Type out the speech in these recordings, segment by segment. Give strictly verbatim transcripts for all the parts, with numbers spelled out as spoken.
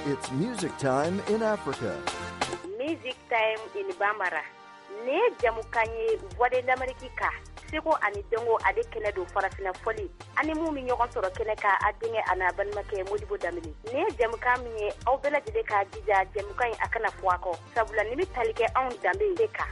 It's music time in Africa. Music time in Bambara. Ne jamukan ye Voix de l'Amérique ka seko ani dɔnko ale kɛnɛ don farafina fɔli ani mun bɛ ɲɔgɔn sɔrɔ kɛnɛ kan a denkɛ a n'a balimakɛ Modibo Danbele nin ye jamukan min ye aw bɛɛ lajɛlen k'a jija jamukan in a kana fɔ a kɔ sabula nin bɛ tali kɛ anw danbe de kan.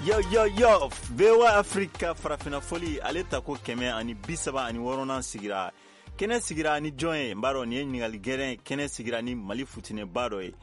Yo yo yo V O A Africa farafina fɔli ale tako kɛmɛ ani bi saba ani wɔɔrɔnan sigira kɛnɛ sigira ni jɔn ye n b'a dɔn nin ye ɲininkali gɛlɛn kɛnɛ sigira ni Mali futinɛba dɔ ye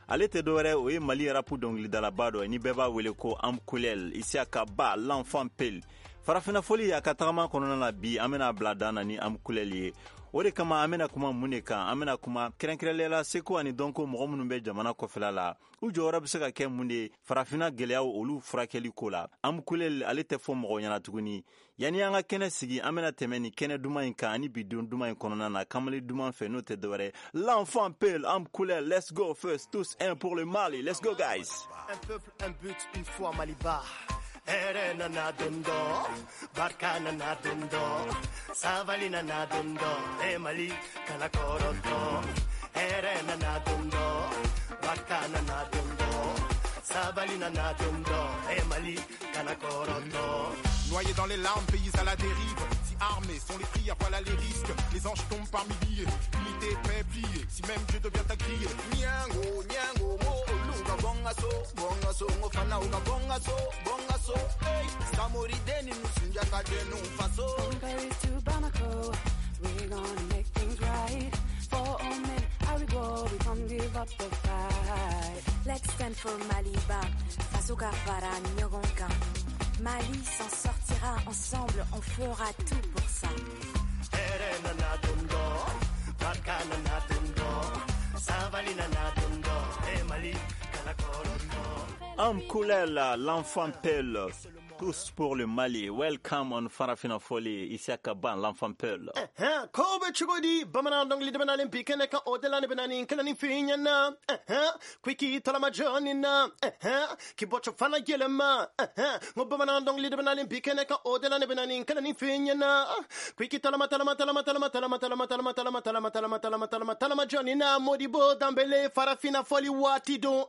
ale tɛ dɔwɛrɛ o ye Mali rap dɔnkilidalaba dɔ ye ni bɛɛ b'a wele ko Amkulel Isiaka Ba l'enfant Peul farafina fɔli a ka tagama kɔnɔna na bi an bɛna bila dan na ni Amkulel ye o de kama an bɛna kuma mun de kan an bɛna kuma kɛrɛnkɛrɛnnenya la seko ani dɔnko mɔgɔ minnu bɛ jamana kɔfɛla la u jɔyɔrɔ bɛ se ka kɛ mun de ye farafina gɛlɛyaw olu furakɛli ko la Amkulel ale tɛ fɔ mɔgɔ ɲɛna tuguni yanni an ka kɛnɛ sigi an bɛna tɛmɛ ni kɛnɛ duman in kan ani bi don duman in kɔnɔna na kamalen duman fɛ n'o tɛ dɔwɛrɛ l'enfant Peul Amkulel let's go first tous un pour le Mali let's go guys. Un peuple, un but, une foi Maliba. Here nana dondo, barka nana dondo, savali nana dondo, e Mali kana koroto. Here nana dondo, barka nana dondo, savali nana dondo, e Mali kana koroto. Noyés dans les larmes, pays à la dérive. Si armés sont les prières, voilà les risques. Les anges tombent par milliers, unité, paix, pliée. Si même Dieu devient à crier. Nyango, nyango, mo, lunga, bonga so, bonga so, ngofana, unga, bonga so, bonga so, hey. Samori deni, nusunja kadenu, faso. From Paris to Bamako, we're gonna make things right. For all men, I will go, we can't give up the fight. Let's stand for Maliba, faso ka fara ɲɔgɔn kan. Mali s'en sortira, ensemble on fera tout pour ça. Amkulel, l'enfant Peul, tous pour le Mali. Welcome on Farafina Foli, Isiaka Ban, l'enfant Peul. Ko bɛ cogo di bamanan dɔnkili de bɛ nalen bi kɛnɛ kan o de la ne bɛ na nin kɛnɛ nin f'i ɲɛna ko i k'i tɔlama jɔnni na k'i bɔcɔ fana yɛlɛma n ko bamanan dɔnkili de bɛ nalen bi kɛnɛ kan o de la ne bɛ na nin kɛnɛ nin f'i ɲɛna ko i k'i tɔlama tɔlama tɔlama tɔlama tɔlama tɔlama tɔlama tɔlama tɔlama tɔlama tɔlama tɔlama tɔlama jɔnni na Modibo Danbele Farafina Foli waati don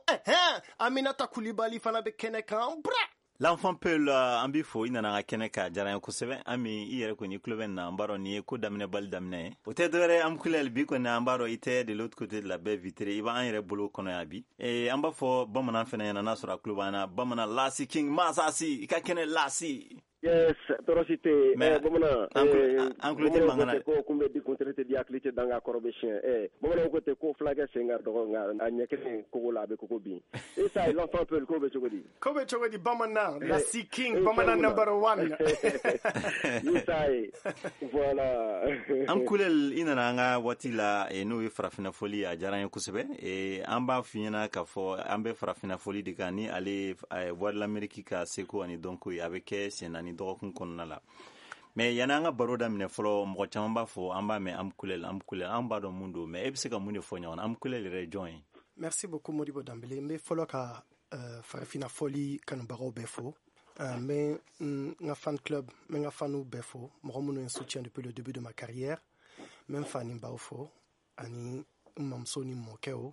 Aminata Kulibali fana bɛ kɛnɛ kan bra. L'enfant Peul an b'i fo i nana an ka kɛnɛ ka diyara n ye kosɛbɛ Ami i yɛrɛ kɔni i tulo bɛ nin na an b'a dɔn nin ye ko daminɛ bali daminɛ ye o tɛ dɔwɛrɛ Amkulel bi kɔni an b'a dɔn i tɛ de l'autre côté de la baie vitrée i b'an yɛrɛ bolo kɔnɔ yan bi e, an b'a fɔ bamanan fɛnɛ ɲɛna n'a sɔrɔ a tulo b'an na bamanan Lasi King Masasi i ka kɛnɛ Lasi. Yes, tɔɔrɔ si tɛ yen. Bamanan an tulo tɛ mankan na. Ko kun bɛ di kuntigi tɛ di hakili tɛ danga kɔrɔ bɛ siɲɛ. Ɛ bamananw ko ten ko fulakɛ sen ka dɔgɔ nka a ɲɛ kelen kogo la a bɛ kogo bin. Isa l'enfant Peul ko bɛ cogo di? Ko bɛ cogo di bamanan Lasi King bamanan number one. Isa ye voilà. Amkulel i nana an ka waati la n'o ye farafina fɔli a diyara an ye kosɛbɛ. An b'a f'i ɲɛna k'a fɔ an bɛ farafina fɔli de kan ni ale Voix de l'Amérique ka seko ani dɔnko ye a bɛ kɛ sen naani dɔgɔkun kɔnɔna la mais yanni an ka baro daminɛ fɔlɔ mɔgɔ caman b'a fɔ an b'a mɛn Amkulel Amkulel an b'a dɔn mun don mais e bɛ se ka mun de fɔ ɲɔgɔn na Amkulel yɛrɛ ye jɔn ye? Merci beaucoup Modibo Danbele n bɛ fɔlɔ ka uh, farafina fɔli kanubagaw bɛɛ fo n bɛ n ka fan club n bɛ n ka faniw bɛɛ fo mɔgɔ minnu ye n soutien depuis le début de ma carrière n bɛ n fa ni n baw fo ani n mamuso ni mɔkɛw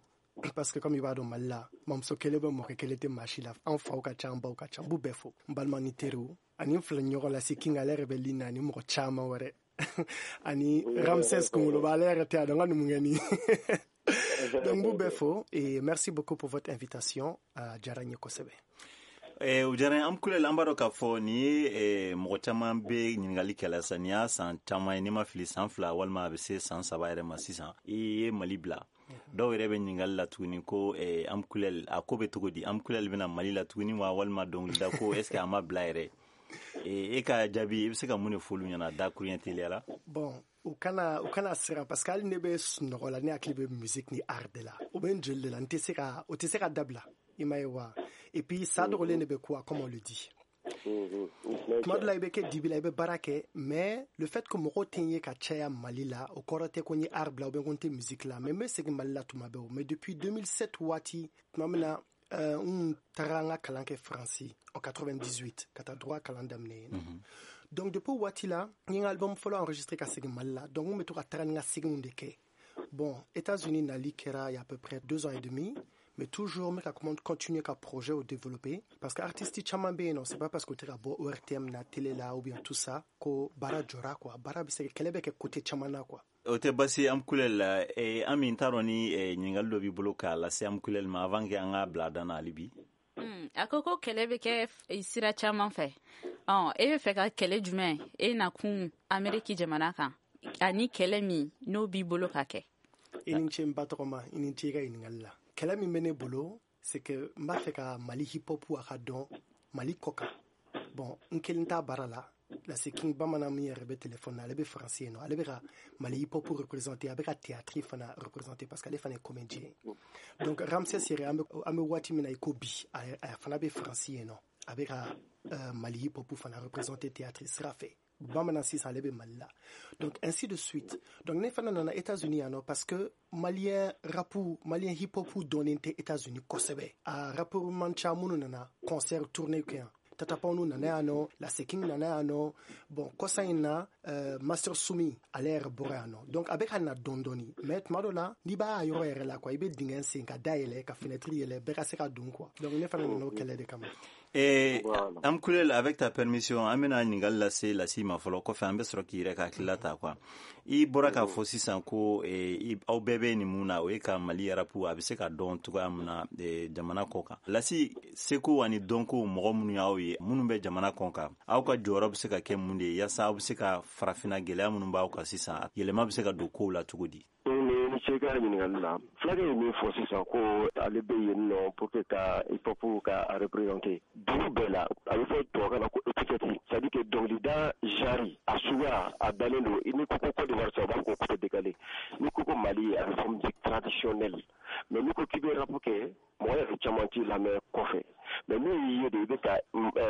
parce que comme i b'a dɔn Mali la mamuso kelen bɛ mɔkɛ kelen tɛ maa si la an faw ka ca an baw ka ca n b'u bɛɛ fo n balima ni teriw ani n filɛ ɲɔgɔn la Lasi King ale yɛrɛ bɛ ligne na ani mɔgɔ caman wɛrɛ ani Ramsès Kunkoloba ale yɛrɛ tɛ a dɔn n ka numukɛni donc n b'u bɛɛ fo et merci beaucoup pour votre invitation a diyara n ye kosɛbɛ. O diyara n ye Amkulel an b'a dɔn k'a fɔ nin ye mɔgɔ caman bɛ ɲininkali kɛ la sisan nin y'a san caman ye n'i ma fili san fila walima a bɛ se san saba yɛrɛ ma sisan i ye Mali bila dɔw yɛrɛ bɛ ɲininkali la tuguni ko Amkulel a ko bɛ cogo di Amkulel bɛna Mali la tuguni wa walima dɔnkilida ko est ce que a ma bila yɛrɛ e ka jaabi i bɛ se ka mun de fɔ olu ɲɛna dakuruɲɛ teliya la? Bon u kana u kana siran parce que hali ne bɛ sunɔgɔ la ne hakili bɛ musique ni art de la o bɛ n joli de la n tɛ se ka o tɛ se ka dabila i m'a ye wa et puis sa dogolen de bɛ quoi comme on le dit tuma dɔ la i bɛ kɛ dibi la i bɛ baara kɛ mais le fait que mɔgɔw tɛ n ye ka caya Mali la o kɔrɔ tɛ ko n ye art bila ou bien ko n tɛ musique la mais n bɛ segin Mali la tuma bɛɛ o mais depuis deux mille sept waati tuma min na Euh, n taara n ka kalan kɛ Faransi en quatre-vingt-dix-huit ka taa droit kalan daminɛ yen nɔ. Donc depuis o waati la, n ye n ka album fɔlɔ enregistré ka segin Mali la. Donc n bɛ to ka taga ni n ka seginw de kɛ. Bon, États-Unis nali kɛra il y a à peu près deux ans et demi, mais toujours n bɛ ka continuer ka projet o développer, parce que artiste caman bɛ yen nɔ, c'est pas parce que u tɛ ka bɔ O R T M na, télé la ou bien tout ça, ko baara jɔra quoi. Baara bɛ se kɛlɛ bɛ kɛ côté caman na quoi. O tɛ basi Amkulel la. eh, Ami, n t'a dɔn ni eh, ɲininkali dɔ b'i bolo k'a lase Amkulel ma avant que an ka bila a dan na hali bi. Hmm, a ko ko kɛlɛ bɛ kɛ sira caman fɛ. Ɔ, e bɛ fɛ ka kɛlɛ jumɛn e nakun Ameriki jamana kan, ani kɛlɛ min n'o b'i bolo ka kɛ? I ni ce n ba tɔgɔma, i ni ce i ka ɲininkali la. Kɛlɛ min bɛ ne bolo, c'est que n b'a fɛ ka Mali hip hop a ka dɔn Mali kɔ kan. Bon, n kelen t'a baara la. Lasi King Bamanan min yɛrɛ bɛ téléphone na, ale bɛ Faransi yen nɔ, ale bɛ ka Mali hip hop représenter, a bɛ ka théâtre fana représenter parce que ale fana ye comédien ye. Donc Ramsès yɛrɛ, an bɛ an bɛ waati min na i ko bi, a a fana bɛ Faransi yen nɔ, a bɛ ka euh, Mali hip hop fana représenter théâtre sira fɛ. Bamanan sisan, ale bɛ Mali la, donc ainsi de suite. Donc ne fana nana États-Unis yan nɔ parce que malien rap, malien hip hop dɔnnen tɛ États-Unis kosɛbɛ. A rappeur man ca minnu nana concert tournée kɛ yan. Tata Pound nana yan nɔ, Lasi King nana yan nɔ. Bon, kɔsa in na, euh, Master Sumi, ale yɛrɛ bɔra yan nɔ. Donc a bɛ ka na dɔɔni dɔɔni, mais tuma dɔ la, n'i b'a yɔrɔ yɛrɛ la quoi, i bɛ dingɛ sen ka da yɛlɛ, ka fenêtre yɛlɛ, bɛɛ ka se ka don quoi. Donc ne fana nana o kɛlɛ de kama. Eh, Amkulel, avec ta permission, an bɛna ɲininkali lase Lasi ma fɔlɔ, kɔfɛ an bɛ sɔrɔ k'i yɛrɛ ka hakilila ta quoi. I bɔra k'a fɔ sisan ko eh, aw bɛɛ bɛ nin mun na, o ye ka Mali rap a bɛ se ka dɔn cogoya min na eh, jamana kɔ kan. Lasi, seko ani dɔnko mɔgɔ minnu y'aw ye, minnu bɛ jamana kɔ kan, aw ka jɔyɔrɔ bɛ se ka kɛ mun de ye yaasa aw bɛ se ka farafinna gɛlɛya minnu b'aw kan sisan, yɛlɛma bɛ se ka don kow la cogo di? Ni ce ka ɲininkali la. Fulakɛ ye min fɔ sisan ko ale bɛ yen nɔ pour que ka hip hop ka représenter dugu bɛɛ la, a bɛ fɔ tubabukan na ko étiquette, c'est à dire que dɔnkilida genre a suguya a dalen don. Ni ko ko Côte d'Ivoire sisan, u b'a fɔ ko coupé décalé. Ni ko ko Mali, a bɛ fɔ musique traditionnelle. Mais n'i ko k'i bɛ rap kɛ, mɔgɔ yɛrɛ caman t'i lamɛn kɔfɛ. Mais n'u y'i ye de i bɛ ka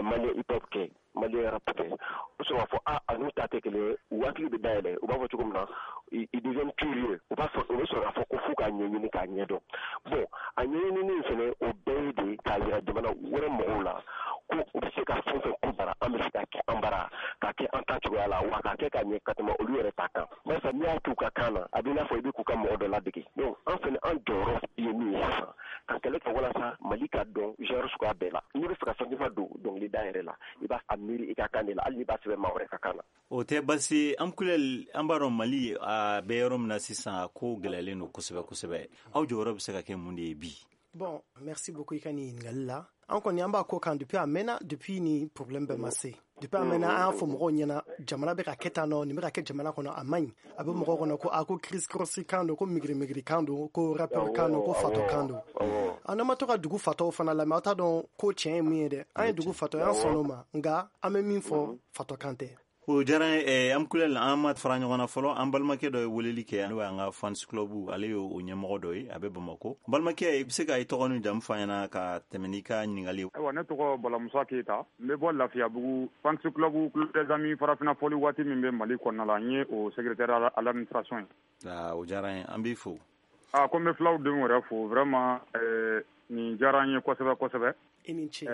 malien hip hop kɛ, malien rap kɛ, o sɔrɔ k'a fɔ a a n'u ta tɛ kelen ye, u hakili bɛ dayɛlɛ. U b'a fɔ cogo min na, ils deviennent curieux. U b'a fɔ, u bɛ sɔrɔ k'a fɔ ko f'u k'a ɲɛɲini k'a ɲɛdɔn. Bon, a ɲɛɲinini in fɛnɛ, o bɛɛ ye de k'a yira jamana wɛrɛ mɔgɔw la ko u bɛ se ka fɛn fɛn ko bara, an bɛ se ka kɛ an bara, k'a kɛ an ta cogoya la, wa k'a kɛ ka ɲɛ ka tɛmɛ olu yɛrɛ ta kan. Barisa n'i y'a k'u ka kan na, a bɛ i n'a fɔ i bɛ k'u ka mɔgɔ dɔ ladege. Donc an fɛnɛ, an jɔyɔrɔ ye min ye sisan, ka kɛlɛ kɛ walasa Mali ka dɔn genre suguya bɛɛ la. N'i bɛ fɛ ka fɛn don dɔnkilida yɛrɛ la, i b'a a miiri i ka kan de la, hali n'i b'a sɛbɛn maa wɛrɛ ka kan na. O tɛ basi Amkulel. An b'a dɔn Mali a bɛ yɔrɔ min na sisan, a ko gɛlɛyalen don kosɛbɛ kosɛbɛ. Aw jɔyɔrɔ bɛ se ka kɛ mun de ye bi? Bon, merci beaucoup i ka nin ɲininkali la. An kɔni, an b'a ko kan depuis a mɛnna, depuis ni problème bɛɛ ma se. Depuis a mɛnna, an y'a fɔ mɔgɔw ɲɛna jamana bɛ ka kɛ tan nɔ, nin bɛ ka kɛ jamana kɔnɔ, a man ɲi. A bɛ mɔgɔw kɔnɔ ko a ko criss cross kan don, ko migiri migiri kan don, ko rappeur kan don, ko fatɔ kan don. An ma to ka dugu fatɔw fana lamɛn, aw t'a dɔn ko tiɲɛ ye mun ye dɛ. An ye dugu fatɔ ye, an sɔnn'o ma, nka an bɛ min fɔ, fatɔ kan tɛ. O diyara n ye. Amkulel, an ma fara ɲɔgɔn na fɔlɔ. An balimakɛ dɔ ye weleli kɛ, n'o y'an ka fans club, ale ye o ɲɛmɔgɔ dɔ ye, a bɛ Bamako. Balimakɛ, i bɛ se ka i tɔgɔ ni jamu fɔ an ɲɛna ka tɛmɛ n'i ka ɲininkali ye? Ayiwa, ne tɔgɔ Balamusa Keyita, n bɛ bɔ Lafiyabugu. Fans club Club des Amis farafinna fɔli waati min bɛ Mali kɔnɔna la, n ye o secrétaire à l'administration ye. O diyara n ye, an b'i fo. A ko n bɛ filaw denw yɛrɛ fo vraiment. Nin diyara n ye kosɛbɛ kosɛbɛ. I ni ce.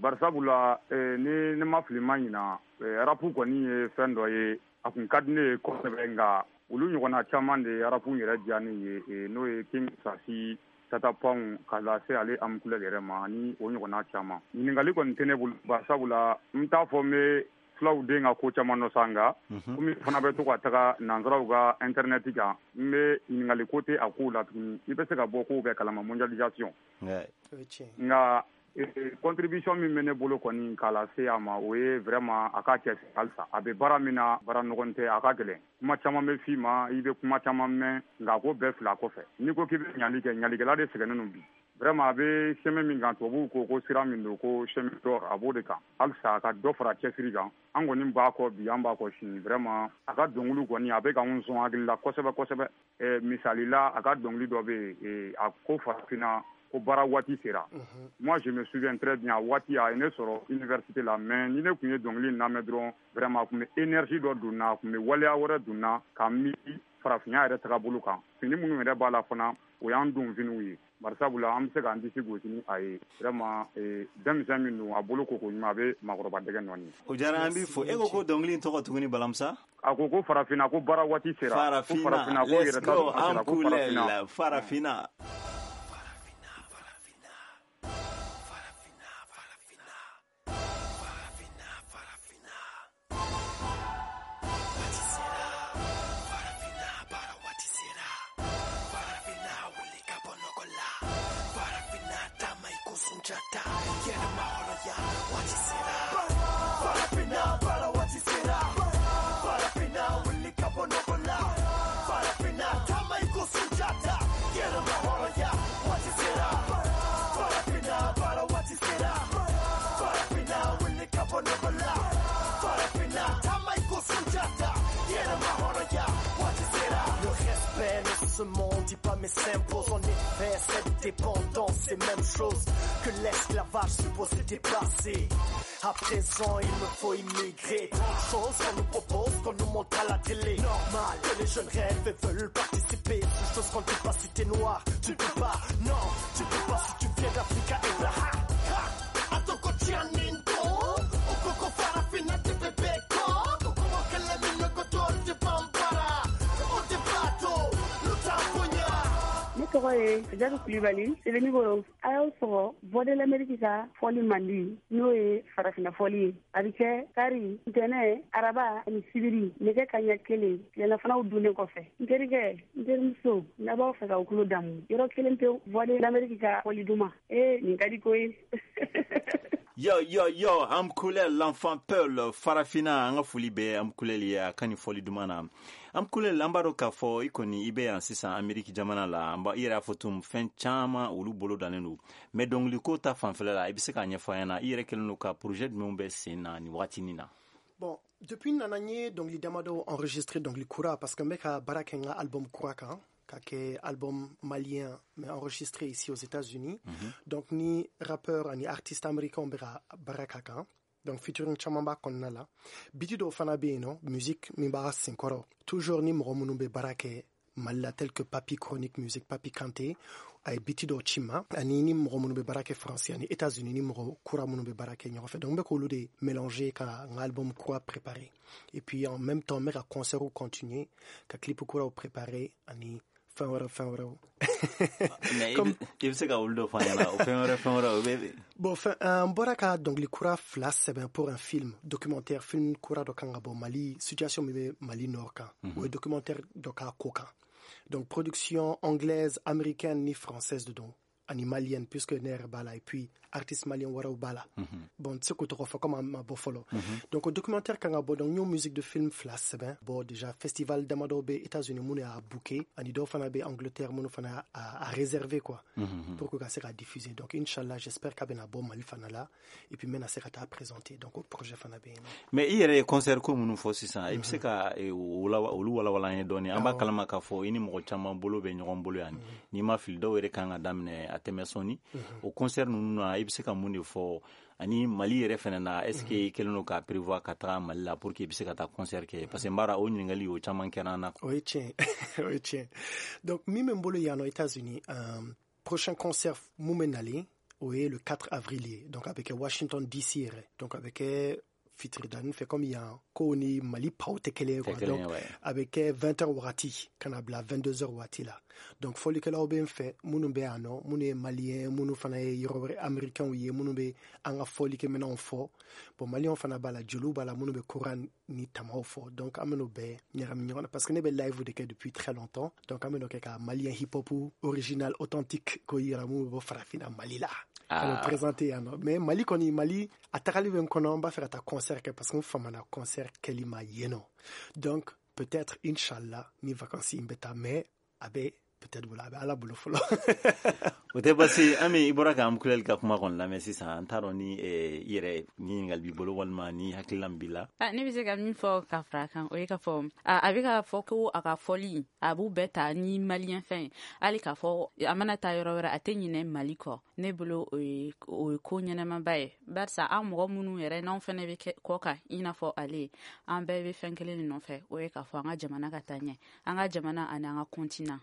Barisabula ni ne ma fili ma ɲina, rap kɔni ye fɛn dɔ ye a kun ka di ne ye kosɛbɛ, nka olu ɲɔgɔnna caman de ye rap yɛrɛ diya ne ye, n'o ye King Sasi, Tata Pound, ka lase ale Amkulel yɛrɛ ma, ani o ɲɔgɔnna caman. Ɲininkali kɔni tɛ ne bolo, barisabula n t'a fɔ n bɛ filaw den ka ko caman dɔ sa, nka komi fana bɛ to ka taga nansaraw ka internet kan, n bɛ ɲininkali ko tɛ a kow la tuguni. I bɛ se ka bɔ kow bɛɛ kalama, mondialisation. Nka contribution min bɛ ne bolo kɔni k'a lase a ma, o ye vraiment a k'a cɛsiri halisa. A bɛ baara min na, baara nɔgɔn tɛ, a ka gɛlɛn. Kuma caman bɛ f'i ma, i bɛ kuma caman mɛn, nka a ko bɛɛ fila kɔfɛ. N'i ko k'i bɛ ɲali kɛ, ɲalikɛla de sɛgɛnnen don bi. Vraiment, a bɛ chemin min kan, tubabuw ko ko sira min don, ko chemin d'or, a b'o de kan. Halisa a ka dɔ fara cɛsiri kan. An kɔni b'a kɔ bi, an b'a kɔ sini. Vraiment, a ka dɔnkiliw kɔni, a bɛ k'anw sɔn hakili la kosɛbɛ kosɛbɛ. Misali la, a ka dɔnkili dɔ bɛ yen, a ko farafinna ko baara waati sera. Moi, je me souviens très bien, a waati a ye ne sɔrɔ université la, mais ni ne tun ye dɔnkili in lamɛn dɔrɔn, vraiment a tun bɛ énergie dɔ don n na, a tun bɛ waleya wɛrɛ don n na ka miiri farafinya yɛrɛ tagabolo kan. Fini minnu yɛrɛ b'a la fana, o y'an don finiw ye. Bari sabula an bɛ se k'an disi gosi ni a ye vraiment denmisɛn min don a bolo ko ko ɲuman a bɛ maakɔrɔba dɛgɛ nɔɔni. O diyara an b'i fo. E ko ko dɔnkili in tɔgɔ tuguni Balamusa? A ko ko farafinna ko baara waati sera. Farafinna, let's go, an kulɛ farafinna. Ce monde dit pas mais s'impose. En effet, cette dépendance, c'est même chose que l'esclavage supposé dépasser. À présent, il me faut immigrer. Tant de choses qu'on nous propose, qu'on nous montre à la télé. Normal que les jeunes rêvent et veulent participer. Ces choses qu'on ne dit pas si t'es noir, tu ne peux pas. Non, tu ne peux pas si tu viens d'Afrique et là. Ha, ha, Ne tɔgɔ ye Jadu Kulibali, Sebenikɔrɔ. A y'aw sɔgɔ Voix de l'Amérique ka fɔli mandi, n'o ye farafinna fɔli ye. A bɛ kɛ kari, ntɛnɛn, araba ani sibiri nɛgɛ kanɲɛ kelen tilelafanaw dunnen kɔfɛ. N terikɛ, n terimuso, n'a b'aw fɛ k'aw tulo damu, yɔrɔ kelen pewu, Voix de l'Amérique ka fɔli duman. Ee, nin ka di koyi. Yo, yo, yo, am kulel l'enfant Peul, Farafina, an ka foli bɛ am kulel ye a ka nin fɔli duman na. Am kulel, an b'a dɔn k'a fɔ i kɔni i bɛ yan sisan Ameriki jamana la, an b'a i yɛrɛ y'a fɔ tun fɛn caman olu bolo dannen don. Mais dɔnkiliko ta fanfɛla la, i bɛ se k'a ɲɛfɔ an ɲɛna, i yɛrɛ kɛlen don ka projet jumɛnw bɛ sen na nin wagatinin na? Bon, depuis nana n ye dɔnkili damadɔ enregistré, dɔnkili kura, parce que n bɛ ka baara kɛ n ka album kura kan, ka kɛ album malien mais enregistré ici aux États-Unis. Mm -hmm. Donc ni rappeur ani artiste américain bɛ ka baara k'a kan. Donc featuring caman b'a kɔnɔna la. Biti dɔw fana bɛ yen nɔ, musique min b'a senkɔrɔ. Toujours ni mɔgɔ minnu bɛ baara kɛ Mali la, tel que Papi Chronique Music, Papi Kanté, a ye biti dɔw ci ma, ani ni mɔgɔ minnu bɛ baara kɛ Faransi ani États-Unis, ni mɔgɔ kura minnu bɛ baara kɛ ɲɔgɔn fɛ. Donc n bɛ k'olu de mélanger ka n ka album kura préparer. Et puis en même temps, n bɛ ka concert continuer, ka clip kuraw préparer ani fɛn wɛrɛ fɛn wɛrɛw. Mais i bɛ se ka olu dɔ fɔ an ɲɛna, o fɛn wɛrɛ fɛn wɛrɛ o bɛ. Bon, fɛn n bɔra ka dɔnkili kura fila sɛbɛn pour un film documentaire, film kura dɔ kan ka bɔ Mali, situation min bɛ Mali nord kan, o ye documentaire dɔ k'a ko kan. Donc production anglaise, américaine ni française de don, ani malienne, puisque ne yɛrɛ b'a la, et puis artiste malien wɛrɛw b'a la. Bon, n tɛ se k'o tɔgɔ fɔ comme a ma bɔ fɔlɔ. Donc o documentaire kan ka bɔ, donc n y'o musique de film fila sɛbɛn. Bon, déjà festival damadɔ bɛ États-Unis minnu y'a booké, ani dɔw fana bɛ Angleterre minnu fana a, a réservé quoi, pour que ka se ka diffuser. Donc inchallah, j'espère k'a bɛna bɔ Mali fana la, et puis n bɛna se ka taa présenter. Donc o projet fana bɛ yen. Mais i yɛrɛ ye concert ko minnu fɔ sisan, i bɛ se ka olu walawala an ye dɔɔni? An b'a kalama k'a fɔ i ni mɔgɔ caman bolo bɛ ɲɔgɔn bolo yan, n'i ma fili dɔw yɛrɛ kan ka daminɛ a tɛmɛ sɔnni. O concert ninnu na, i bɛ se ka mun de fɔ? Ani Mali yɛrɛ fɛnɛ na, est ce que i kɛlen don k'a prévoir ka taga Mali la pour que i bɛ se ka taa concert kɛ? Parce que n b'a dɔn o ɲininkali o caman kɛra an na. O ye tiɲɛ, o ye tiɲɛ. Donc min bɛ n bolo yan nɔ États-Unis, euh, prochain concert mun bɛ nalen, o ye le quatre avril ye. Donc a bɛ kɛ Washington D C yɛrɛ. Donc a bɛ kɛ fitiridani fɛ, comme yan kow ni Mali paw tɛ kelen ye quoi. Donc a bɛ kɛ vingt heures wagati ka na bila vingt-deux heures waati la. Donc fɔlikɛlaw bɛ n fɛ minnu bɛ yan nɔ, minnu ye malien, minnu fana ye yɔrɔ wɛrɛ américains ye, minnu bɛ an ka fɔlikɛminɛnw fɔ. Bon, maliens fana b'a la, jeliw b'a la, minnu bɛ koran ni tamaw fɔ. Donc an bɛn'o bɛɛ ɲagami ɲɔgɔn na, parce que ne bɛ live de kɛ depuis très longtemps. Donc an bɛn'o kɛ ka malien hip hop original authentique k'o yira minnu bɛ bɔ farafinna Mali la, ka n'o présenter yan nɔ. Mais Mali kɔni, Mali a tagali bɛ n kɔnɔ, n b'a fɛ ka taa concert kɛ, parce que n famana concert kɛli ma yen nɔ. Donc peut-être inchallah ni vacances in bɛ taa, mais a bɛ peut-être bolo, a bɛ Ala bolo fɔlɔ. O tɛ basi. Ami, i bɔra k'an kulɛli ka kuma kɔni lamɛn sisan, an t'a dɔn ni i yɛrɛ ni ɲininkali b'i bolo walima ni hakilina b'i la. Ne bɛ se ka min fɔ ka fara a kan, o ye k'a fɔ a bɛ k'a fɔ ko a ka fɔli a b'u bɛɛ ta ni malien fɛn ye, hali k'a fɔ a mana taa yɔrɔ wɛrɛ a tɛ ɲinɛ Mali kɔ. Ne bolo o ye o ye ko ɲɛnamaba ye, barisa an mɔgɔ minnu yɛrɛ n'anw fɛnɛ bɛ kɛ kɔ kan i n'a fɔ ale, an bɛɛ bɛ fɛn kelen de nɔfɛ, o ye k'a fɔ an ka jamana ka taa ɲɛ, an ka jamana ani an ka continent.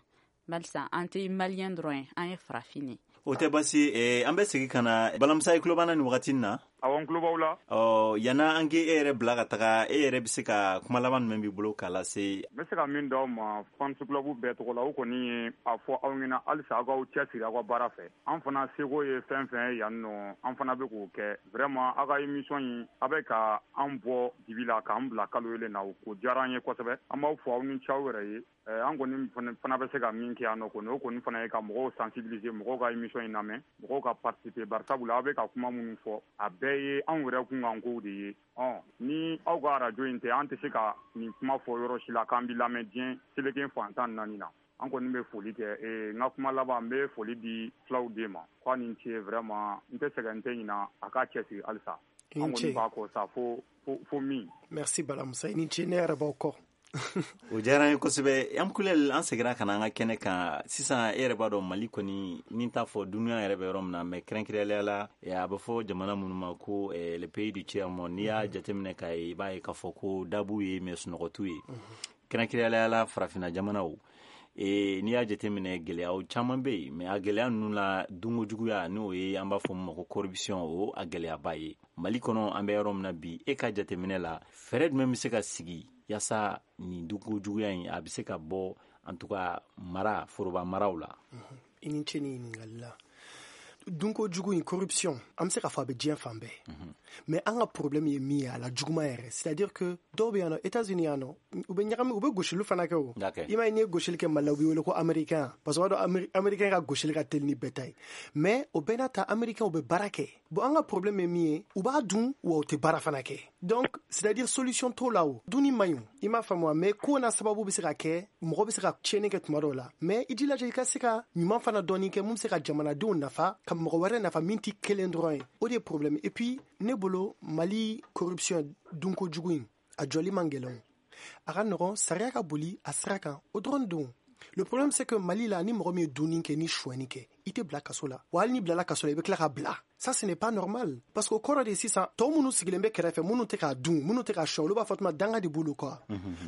Barisa an tɛ maliyɛn dɔrɔn ye, an ye farafin ye. O tɛ basi eh, an bɛ segin ka na Balamusa, i tulo b'an na nin wagati in na? Awɔ, n tulo b'aw la. Ɔ, yanna an k'e yɛrɛ bila ka taga, e yɛrɛ bɛ se ka kuma laban jumɛn b'i bolo k'a lase? N bɛ se ka min d'aw ma fans club bɛɛ tɔgɔ la, o kɔni ye a fɔ aw ɲɛna halisa aw k'aw cɛsiri aw ka baara fɛ. An fana seko ye fɛn fɛn ye yan nɔ, an fana bɛ k'o kɛ. Vraiment, aw ka émission in, a bɛ ka an bɔ dibi la k'an bila kalo yelen na, o diyara an ye kosɛbɛ. An b'aw fɔ, aw ni ce aw yɛrɛ ye. An kɔni fana bɛ se ka min kɛ yan nɔ kɔni, o kɔni fana ye ka mɔgɔw sensibiliser, mɔgɔw ka émission in lamɛn, mɔgɔw ka participer, barisabula aw bɛ ka kuma minnu fɔ, a bɛɛ ye anw yɛrɛ kunkankow de ye. Ɔ, ni aw ka arajo in tɛ, an tɛ se ka nin kuma fɔ yɔrɔ si la k'an bɛ lamɛn diɲɛ seleke fan tan naani na. An kɔni bɛ foli kɛ. N ka kuma laban, n bɛ foli di filaw den ma k'a ni ce. Vraiment, n tɛ sɛgɛn, n tɛ ɲina, a k'a cɛsiri halisa. An kɔni b'a kɔ sa fo fo min. Merci Balamusa, i ni ce, ne yɛrɛ b'aw kɔ. O diyara an ye kosɛbɛ. An kulɛli, an seginna ka na an ka kɛnɛ kan sisan. E yɛrɛ b'a dɔn, Mali kɔni, ni t'a fɔ dunuya yɛrɛ bɛ yɔrɔ min na, mais kɛrɛnkɛrɛnnenya la, a bɛ fɔ jamana minnu ma ko le pays du tiers monde. N'i y'a jateminɛ k'a ye, i b'a ye k'a fɔ ko dabu ye, mais sunɔgɔtu ye. Kɛrɛnkɛrɛnnenya la, farafinna jamanaw, n'i y'a jateminɛ, gɛlɛyaw caman bɛ yen, mais a gɛlɛya ninnu la, dunko juguya, n'o ye an b'a fɔ min ma ko corruption, o a gɛlɛyaba ye Mali kɔnɔ. An bɛ yɔrɔ min na bi, e ka jateminɛ la, fɛɛrɛ jumɛn bɛ se ka sigi yaasa nin dunko juguya in a bɛ se ka bɔ, en tout cas mara foroba maraw la? I ni ce ni ɲininkali la. Dunko jugu in, corruption, an bɛ se k'a fɔ a bɛ diɲɛ fan bɛɛ, mais an ka problème ye min ye, a la juguman yɛrɛ, c'est à dire que dɔw bɛ yan nɔ, États-Unis yan nɔ, u bɛ ɲagami, u bɛ gosili fana kɛ. O i m'a ye, n'i ye gosili kɛ Mali la, u b'i wele ko américain, parce que o b'a dɔn américain ka gosili ka teli ni bɛɛ ta ye. Mais o bɛɛ n'a ta, américain u bɛ baara kɛ. Bon, an ka problème ye min ye, u b'a dun wa u tɛ baara fana kɛ. Donc c'est à dire solution t'o la. O dunni man ɲi, i m'a faamu wa? Mais ko n'a sababu bɛ se ka kɛ, mɔgɔ bɛ se ka tiɲɛni kɛ tuma dɔw la, mais i jilaja i ka se ka ɲuman fana dɔɔni kɛ mun bɛ se ka jamanadenw nafa, ka mɔgɔ wɛrɛ nafa min tɛ kelen dɔrɔn ye. O de ye problème. Et puis ne bolo, Mali corruption, dunko jugu in, a jɔli man gɛlɛn, a ka nɔgɔn, sariya ka boli a sira kan, o dɔrɔn don. Le problème, c'est que Mali la, ni mɔgɔ min ye dunni kɛ ni sonyɛni kɛ, i tɛ bila kaso la. Wa hali n'i bilala kaso la, i bɛ tila ka bila. Ça, ce n'est pas normal, parce que o kɔrɔ de, sisan tɔw minnu sigilen bɛ kɛrɛfɛ, minnu tɛ k'a dun, minnu tɛ k'a sɔn, olu b'a fɔ tuma danga de b'olu kɔ.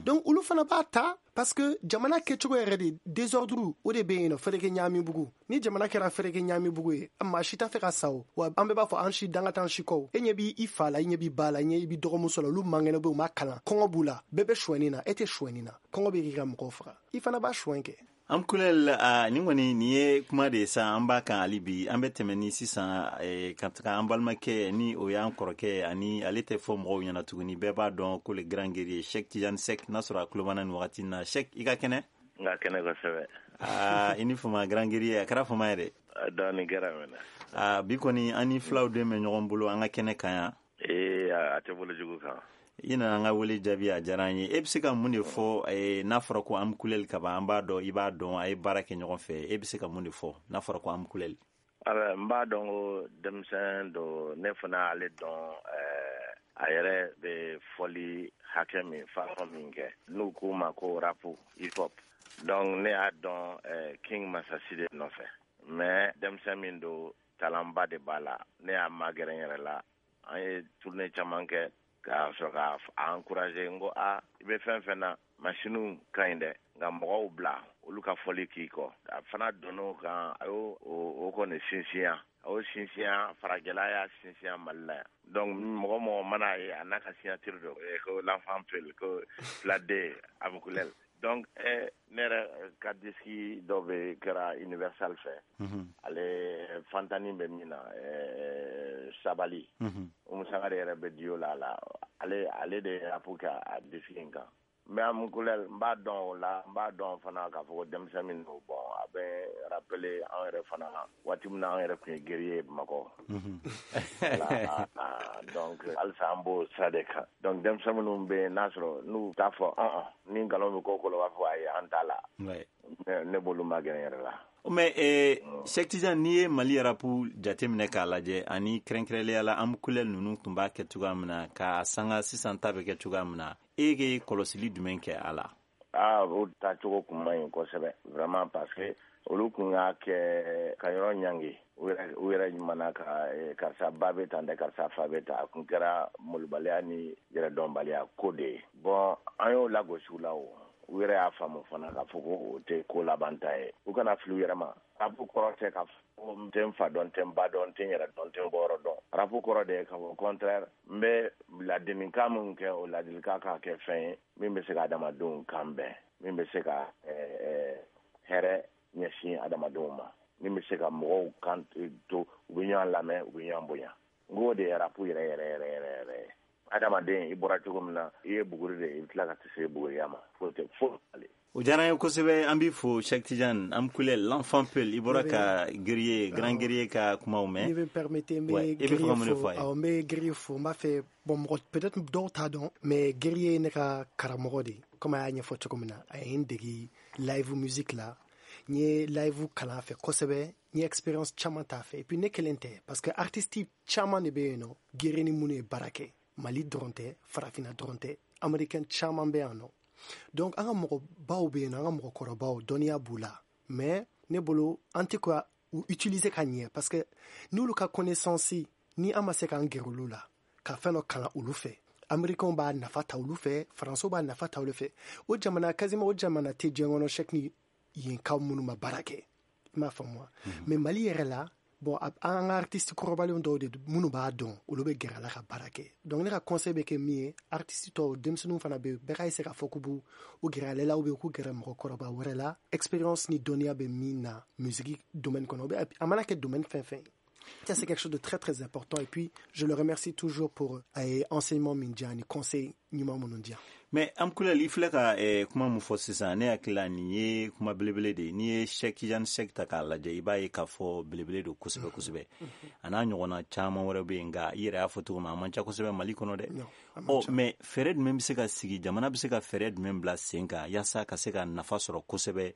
Donc olu fana b'a ta, parce que jamana kɛcogo yɛrɛ de, désordre o de bɛ yen nɔ, fɛrɛkɛ ɲaami bugu. Ni jamana kɛra fɛrɛkɛ ɲaami bugu ye, maa si t'a fɛ ka sa. O wa an bɛɛ b'a fɔ an si danga t'an si kɔ. E ɲɛ b'i fa la, i ɲɛ b'i ba la, i ɲɛ b'i dɔgɔmuso la, olu man kɛnɛ bɛ, u ma kalan, kɔngɔ b'u la, bɛɛ bɛ sonyɛni na, e tɛ sonyɛni na, kɔngɔ bɛ k'i ka mɔgɔw faga, i fana b'a sonyɛ kɛ. An kulɛli, nin kɔni nin ye kuma de ye sa, an b'a kan hali bi. An bɛ tɛmɛ ni sisan ka taga an balimakɛ, ni o y'an kɔrɔkɛ, ani ale tɛ fɔ mɔgɔw ɲɛna tuguni, bɛɛ b'a dɔn ko le grand guerrier Cheikh Tidiane Seck. N'a sɔrɔ a tulo b'an na nin wagati in na. Cheikh, i ka kɛnɛ? N ka kɛnɛ kosɛbɛ. Aa, i ni fama, grand guerrier, a kɛra fama ye dɛ. Dɔɔni kɛra mɛnɛ. Aa, bi kɔni an ni filaw den bɛ ɲɔgɔn bolo an ka kɛnɛ kan yan. Ee, a tɛ bolo jugu kan. I nana an ka wele jaabi, a diyara an ye. E bɛ se ka mun de fɔ n'a fɔra ko Am Kulɛli ka ban? An b'a dɔn, i b'a dɔn, a ye baara kɛ ɲɔgɔn fɛ. E bɛ se ka mun de fɔ n'a fɔra ko Am Kulɛli? N b'a dɔn ko denmisɛn don, ne fana ale dɔn, a yɛrɛ bɛ fɔli hakɛ min, façon min kɛ, n'u k'u ma ko rap hip hop. Donc ne y'a dɔn King Masasi de nɔfɛ, mais denmisɛn min don, talentba de b'a la. Ne y'a magɛrɛ n yɛrɛ la, an ye tournée caman kɛ k'a sɔrɔ k'a encourager. N ko a i bɛ fɛn fɛn na, masiniw ka ɲi dɛ, nka mɔgɔw bila olu ka fɔli k'i kɔ. A fana donn'o kan, a y'o o kɔni sinsinya, a y'o sinsinya farajɛla, y'a sinsinya Mali la yan. Donc mɔgɔ mɔgɔ mana ye a n'a ka signature don ko l'enfant peul, ko filaden Am Kulɛli. Donc eh, ne yɛrɛ ka disque dɔ bɛ kɛra Universal fɛ, ale fantani bɛ min na, Sabali, Umu Sangare yɛrɛ bɛ dio la a la, ale ale de ye rap kɛ a disque in kan. N bɛ Am Kulɛli, n b'a dɔn o la, n b'a dɔn fana k'a fɔ ko denmisɛn min don. Bon, a bɛ rappeler an yɛrɛ fana waati min na an yɛrɛ tun ye guerrier ye Bamakɔ. Donc halisa an b'o sira de kan. Donc denmisɛn minnu bɛ yen, n'a sɔrɔ n'u t'a fɔ ɔn ni nkalon bɛ ko ko la, u b'a fɔ ayi, an t'a la, ne b'olu magɛrɛ n yɛrɛ la. Mais eh, Cheikh Tidiane, n'i ye Mali rap jateminɛ k'a lajɛ, ani kɛrɛnkɛrɛnnenya la Am Kulɛli ninnu tun b'a kɛ cogoya min na, k'a sanga sisan ta bɛ kɛ cogoya min na, e ye kɔlɔsili jumɛn kɛ a la? Aa, o taacogo kun man ɲi kosɛbɛ vraiment, parce que olu kun y'a kɛ ka yɔrɔ ɲangi, u yɛrɛ ɲuman ka karisa ba bɛ tan dɛ, karisa fa bɛ tan. A kun kɛra molobaliya ni yɛrɛdɔnbaliya ko de ye. Bon, an y'o lagosi u la o. U yɛrɛ y'a faamu fana k'a fɔ ko o tɛ ko laban ta ye. U kana fili u yɛrɛ ma. Rapu kɔrɔ tɛ k'a fɔ n tɛ n fa dɔn, n tɛ n ba dɔn, n tɛ n yɛrɛ dɔn, n tɛ n bɔyɔrɔ dɔn. Rapu kɔrɔ de ye k'a fɔ contraire, n bɛ ladilikan min kɛ, o ladilikan k'a kɛ fɛn ye min bɛ se ka adamadenw kan bɛn, min bɛ se ka hɛrɛ ɲɛsin adamadenw ma, min bɛ se ka mɔgɔw kan to u bɛ ɲɔgɔn lamɛn, u bɛ ɲɔgɔn bonya. N k'o de ye rapu yɛrɛ yɛrɛ yɛrɛ yɛrɛ yɛrɛ ye. Adamaden, i bɔra cogo min na, i ye buguri de ye, i bɛ tila ka se buguriya ma. Foyi tɛ foyi ale. O diyara n ye kosɛbɛ. An b'i fo, Cheick Tidiane Amkoulel, l'enfant Peul. I bɔra ka guerrier, grand guerrier ka kumaw mɛn. Ni bɛ permettre, n bɛ guerrier fo. Awɔ, n bɛ guerrier fo. N b'a fɛ, bon, mɔgɔ peut-être dɔw t'a dɔn, mais guerrier ye ne ka karamɔgɔ de ye. Comme a y'a ɲɛfɔ cogo min na, a ye n dege live musique la. N ye live kalan a fɛ kosɛbɛ. N ye expérience caman t'a fɛ. Et puis ne kelen tɛ, parce que artiste caman de bɛ yen nɔ, guerrier ni minnu ye baara kɛ. Mali dɔrɔn tɛ, farafinna dɔrɔn tɛ, américain caman bɛ yan nɔ. Donc an ka mɔgɔbaw bɛ yen nɔ, an ka mɔgɔkɔrɔbaw, dɔnniya b'u la, mais ne bolo an tɛ ka u utiliser ka ɲɛ, parce que n'olu ka connaissance, ni an ma se k'an gɛrɛ olu la ka fɛn dɔ kalan olu fɛ, américains b'a nafa ta olu fɛ, faransiw b'a nafa ta olu fɛ. O jamana quasiment, o jamana tɛ diɲɛ kɔnɔ, Cheick, ni yenkaw minnu ma baara kɛ, i m'a faamu wa? Mais Mali yɛrɛ la, bon, an ka artiste kɔrɔbalenw dɔw de minnu b'a dɔn, olu bɛ gɛrɛ a la ka baara kɛ. Donc ne ka conseil bɛ kɛ min ye, artiste tɔw, denmisɛnninw fana bɛ, bɛɛ ka essayer k'a fɔ k'u b'u u gɛrɛ ale la, ou bien k'u gɛrɛ mɔgɔkɔrɔba wɛrɛ la, expérience ni dɔnniya bɛ min na musique domaine kɔnɔ, a mana kɛ domaine fɛn fɛn. Ça, c'est quelque chose de très, très important. Et puis, je le remercie toujours pour euh, enseignement min di yan ni conseil ɲuman minnu di yan. Mais Amkoulel, i filɛ ka eh, kuma mun fɔ sisan, ne hakili la nin ye kuma belebele de ye. N'i ye Cheick Tidiane Seck ta k'a lajɛ, i b'a ye k'a fɔ belebele don kosɛbɛ kosɛbɛ. A n'a ɲɔgɔnna caman wɛrɛ bɛ yen, nka i yɛrɛ y'a fɔ cogo min, a man ca kosɛbɛ Mali kɔnɔ dɛ. Ɔ, mais fɛɛrɛ jumɛn bɛ se ka sigi, jamana bɛ se ka fɛɛrɛ jumɛn bila sen kan yaasa ka se ka nafa sɔrɔ kosɛbɛ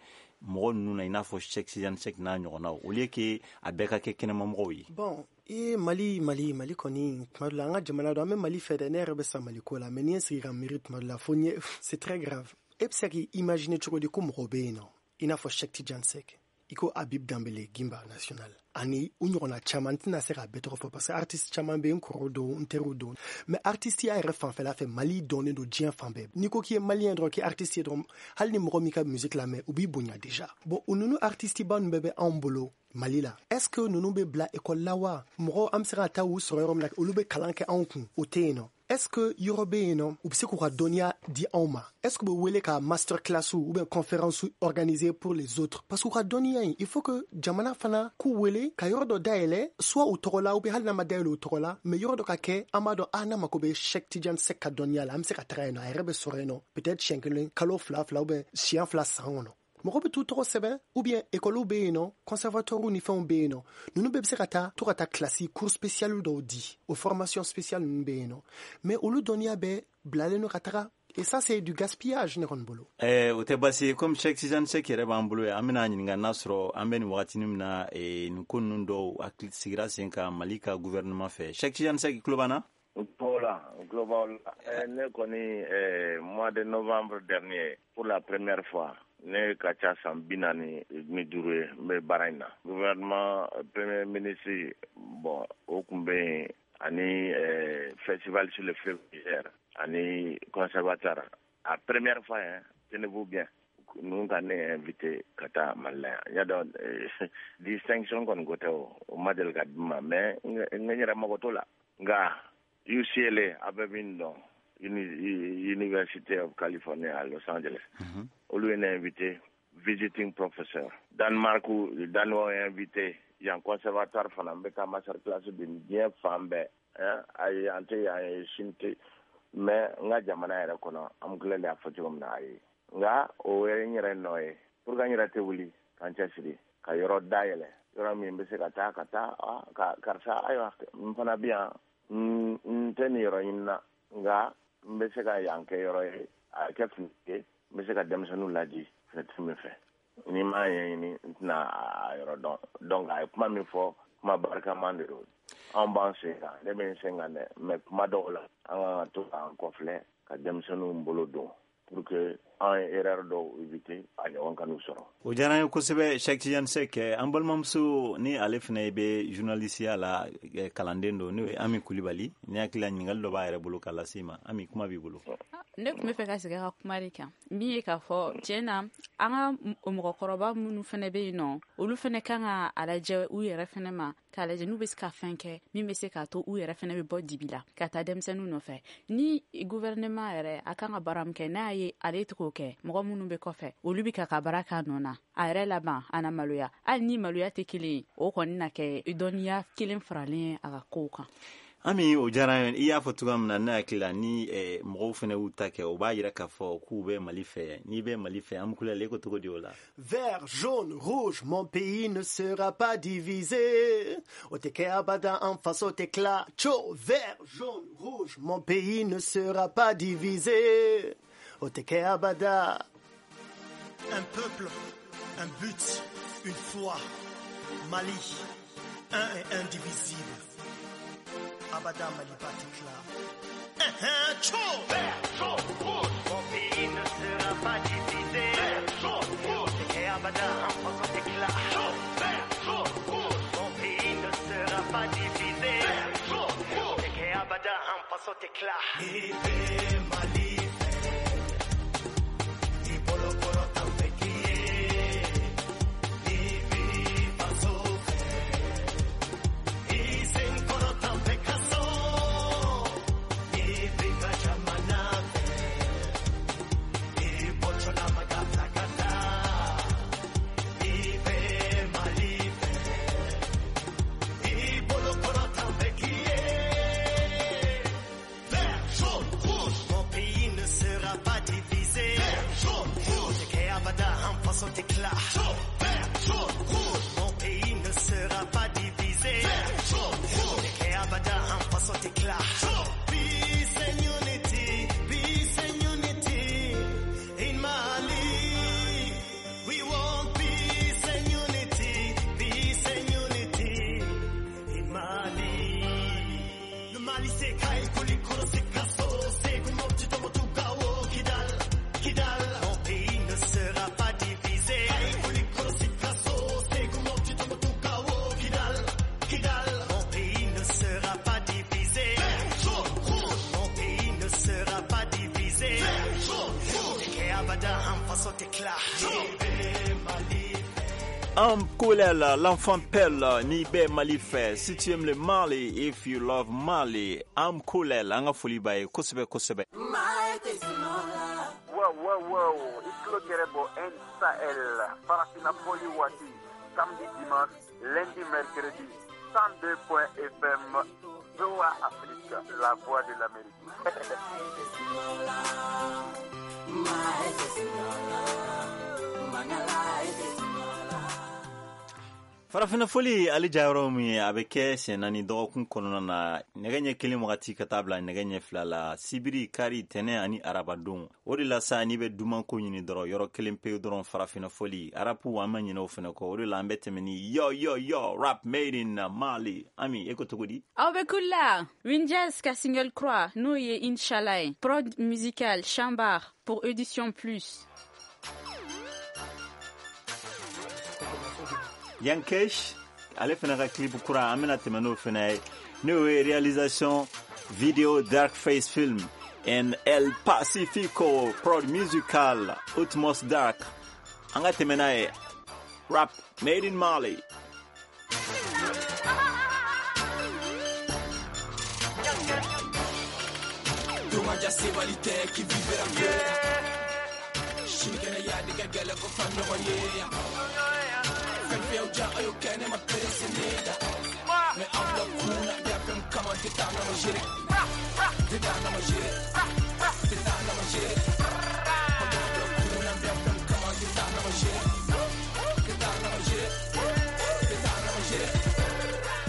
mɔgɔ ninnu na, i n'a fɔ Cheick Tidiane Seck n'a ɲɔgɔnnaw, au lieu que a bɛɛ ka kɛ kɛnɛmamɔgɔw ye? Bon, i Mali, Mali, Mali kɔni, tuma dɔ la, an ka jamana don, an bɛ Mali fɛ dɛ. Ne yɛrɛ bɛ sa Mali ko la, mais n'i ye sigi ka miiri tuma dɔ la, fo n ye, c'est très grave. E bɛ se k'i imaginer cogo di ko mɔgɔw bɛ yen nɔ, i n'a fɔ Cheick Tidiane Seck, i ko Habib Dambele, Gimba National, ani u ɲɔgɔnna caman, n tɛna se k'a bɛɛ tɔgɔ fɔ, parce que artiste caman bɛ yen, n kɔrɔw don, n teriw don. Mais artiste ya yɛrɛ fanfɛla fɛ, Mali dɔnnen don diɲɛ fan bɛɛ. N'i ko k'i ye malien dɔrɔn, k'i artiste ye dɔrɔn, hali ni mɔgɔ min ka musique lamɛn, u b'i bonya déjà. Bon, o ninnu artiste ba ninnu bɛɛ bɛ anw bolo Mali la. Est ce que ninnu bɛ bila école la wa? Mɔgɔ an bɛ se ka taa u sɔrɔ yɔrɔ min na, olu bɛ kalan kɛ anw kun, o tɛ yen nɔ. Est ce que yɔrɔ bɛ yen nɔ, u bɛ se k'u ka dɔnniya di anw ma? Est ce que u bɛ wele ka master class ou bien conférence organiser pour les autres? Parce que u ka dɔnniya in, il faut que jamana fana k'u wele ka yɔrɔ dɔ dayɛlɛ, soit u tɔgɔ la, ou bien hali n'a ma dayɛlɛ u tɔgɔ la, mais yɔrɔ dɔ ka kɛ, an b'a dɔn, ah, n'a mako bɛ Cheick Tidiane Seck ka dɔnniya la, an bɛ se ka taga yen nɔ, a yɛrɛ bɛ sɔrɔ yen nɔ, peut-être siɲɛ kelen kalo fila fila, ou bien siɲɛ fila san kɔnɔ. Mɔgɔ bɛ t'u tɔgɔ sɛbɛn, ou bien école bɛ yen nɔ, conservatoire ni fɛnw bɛ yen nɔ, ninnu bɛɛ bɛ se ka taa to ka taa classe, cours spécial dɔw di, o formation spéciale ninnu bɛ yen nɔ, mais olu dɔnniya bɛɛ bilalen don ka taga. Et ça, c'est du gaspillage, ne kɔni bolo. Eh, o tɛ baasi ye. Comme Cheick Tidiane Seck yɛrɛ b'an bolo yan, an bɛna ɲininka n'a sɔrɔ an bɛ nin wagatinin min na, eh, nin ko ninnu dɔw hakili sigira sen kan Mali ka gouvernement fɛ. Cheick Tidiane Seck, i tulo b'an na? Voilà, global. Ne kɔni, mois de novembre dernier, pour la première fois, ne ka ca san bi naani ni duuru ye n bɛ baara in na, gouvernement, premier ministre, bon, o tun bɛ yen, ani festival sur le fleuve Niger ani conservatoire. A première fois, hein, tenez-vous bien, ninnu ka ne invité ka taa Mali la yan. N y'a dɔn, distinction kɔni ko tɛ, o o ma deli ka di n ma, mais n n yɛrɛ mago t'o la. Nka U C L A, a bɛɛ min dɔn, University of California à Los Angeles, olu ye ne invité visiting professor. Danemark, Danois ye invité yan. Conservatoire fana, n bɛ taa master class di diɲɛ fan bɛɛ. Ayi, an tɛ yan ye, sini tɛ, mais n ka jamana yɛrɛ kɔnɔ, an tilalen y'a fɔ cogo min na, ayi, nka o ye n yɛrɛ nɔ ye pour que n yɛrɛ tɛ wuli ka n cɛsiri ka yɔrɔ dayɛlɛ, yɔrɔ min bɛ se ka taa ka taa ka karisa, ayiwa, n fana bɛ yan, n tɛ nin yɔrɔ ɲini na, nka n bɛ se ka yan kɛ yɔrɔ ye, a kɛ fini ye, n bɛ se ka denmisɛnninw laji fɛnɛ min fɛ. Ni m'a ɲɛɲini, n tɛna a yɔrɔ dɔn. Donc a ye kuma min fɔ, kuma barikaman de don. Anw b'an sen kan, ne bɛ n sen kan dɛ, mais kuma dɔw la, an kan ka to k'an kɔfilɛ ka denmisɛnninw bolo don pour que an ye erreur dɔw éviter, a ɲɔgɔn kan'u sɔrɔ. O diyara n ye kosɛbɛ, Cheick Tidiane Seck. An balimamuso ni ale fana bɛ journalisiya la, kalanden don, n'o ye Ami Kulibali. Ni hakili la, ɲininkali dɔ b'a yɛrɛ bolo k'a lase i ma. Ami, kuma b'i bolo. Ne tun bɛ fɛ ka segin ka kuma de kan min ye k'a fɔ tiɲɛ na an ka mɔgɔkɔrɔba minnu fana bɛ yen nɔ, olu fana kan ka a lajɛ u yɛrɛ fana ma, k'a lajɛ n'u bɛ se ka fɛn kɛ min bɛ se k'a to u yɛrɛ fana bɛ bɔ dibi la ka taa denmisɛnninw nɔfɛ. Ni gouvernement yɛrɛ a kan ka baara min kɛ, n'a ye ale tɛ k'o kɛ, mɔgɔ minnu bɛ kɔfɛ olu bɛ ka ka baara k'a nɔ na, a yɛrɛ laban a na maloya. Hali ni maloya tɛ kelen ye, o kɔni na kɛ dɔnniya kelen faralen ye a ka kow kan. Ami, o diyara n ye. I y'a fɔ cogoya min na, ne hakili la ni eh, mɔgɔw fana y'u ta kɛ, o b'a yira k'a fɔ k'u bɛ Mali fɛ. N'i bɛ Mali fɛ, an kulɛli, e ko cogo di o la? Vert, jaune, rouge, mon pays ne sera pas divisé. O tɛ kɛ abada, an faso tɛ tila. Cho, vert, jaune, rouge, mon pays ne sera pas divisé. O tɛ kɛ abada. Un peuple, un but, une foi. Mali, un et indivisible. Abada Maliba tɛ tila. Cho, vert, jaune, rouge, mon pays ne sera pas divisé. Vert, jaune, rouge, o tɛ kɛ abada, an faso tɛ tila. Cho, vert, jaune, rouge, mon pays ne sera pas divisé. Vert, jaune, rouge, o tɛ kɛ abada, an faso tɛ tila. Ni bɛ Mali fɛ, i bolo kɔrɔ t'an fɛ k'i ye. Ni b'i faso fɛ, i sen kɔrɔ t'an fɛ ka so. Ni b'i ka jamana fɛ, i bɔtɔla maga bila ka taa. Ni bɛ Mali fɛ, i bolo kɔrɔ t'an fɛ k'i ye. Vert, jaune, rouge, mon pays ne sera pas divisé. Vert, jaune, rouge, o tɛ kɛ abada, an faso tɛ tila. Vert, jaune, rouge, mon pays ne sera pas divisé. Vert, jaune, rouge, o tɛ kɛ abada, an faso tɛ tila. Peace and unity, peace and unity in Mali. We want peace and unity, peace and unity in Mali. Le Mali c'est Kayes, Koulikoro, c'est Sikasso, Ségou, Mopti, Tombouctou, Gao, Kidal, Kidal. Mon pays ne sera pas divisé. Kayes, Koulikoro, Sikasso, Ségou, Mopti, Tombouctou, Gao, Kidal, Kidal. Mon pays ne sera pas divisé. Vert, jaune, rouge. Mon pays ne sera pas divisé. Vert, jaune, rouge. O tɛ kɛ abada, an faso tɛ tila. Mali. Am Koulel, l'enfant pelle, n'i bɛ Mali fɛ. Si tu aimes le Mali, if you love Mali, Am Koulel, an ka foli b'a ye kosɛbɛ kosɛbɛ. Wow, wow, wow. I tulo gɛrɛ bɔ N Sahel, Farafina fɔli waati, samedi, dimanche, lundi, mercredi, cent deux point F M, V O A Afrique, la voix de l'Amérique. Farafina foli ale jayɔrɔ min ye, a bɛ kɛ siɲɛ naani dɔgɔkun kɔnɔna na, nɛgɛ ɲɛ kelen wagati ka taa bila nɛgɛ ɲɛ fila la, sibiri, kari, tɛnɛ ani arabadon. O de la sa, n'i bɛ dumanko ɲini dɔrɔn, yɔrɔ kelen pewu dɔrɔn, farafina foli rap, an ma ɲinɛ o fɛnɛ kɔ. O de la an bɛ tɛmɛ ni yo yo yo rap made in Mali. Ami, e ko cogo di? Aw bɛ kula Winjaz ka single kura, n'o ye Inshallah ye. Prod musical Chambar pour Audition Plus. Yankesh ale fana ka clip kura, an bɛna tɛmɛ n'o fana ye, n'o ye réalisation vidéo Dark Face Film and El Pacifico, prod musical Utmost Dark. An ka tɛmɛ n'a ye, rap made in Mali. Dungaja sebali tɛ k'i vivre sinikɛnɛ y'a de ka gɛlɛn ko fa ɲɔgɔn ye fɛn fɛn ja a y'o kɛ ne ma perese ne da mɛ an bila kun na bɛɛ fɛn kama tɛ taa na ma gere tɛ taa na ma gere tɛ taa na ma gere an bila kun na bɛɛ fɛn kama tɛ taa na ma gere tɛ taa na ma gere tɛ taa na ma gere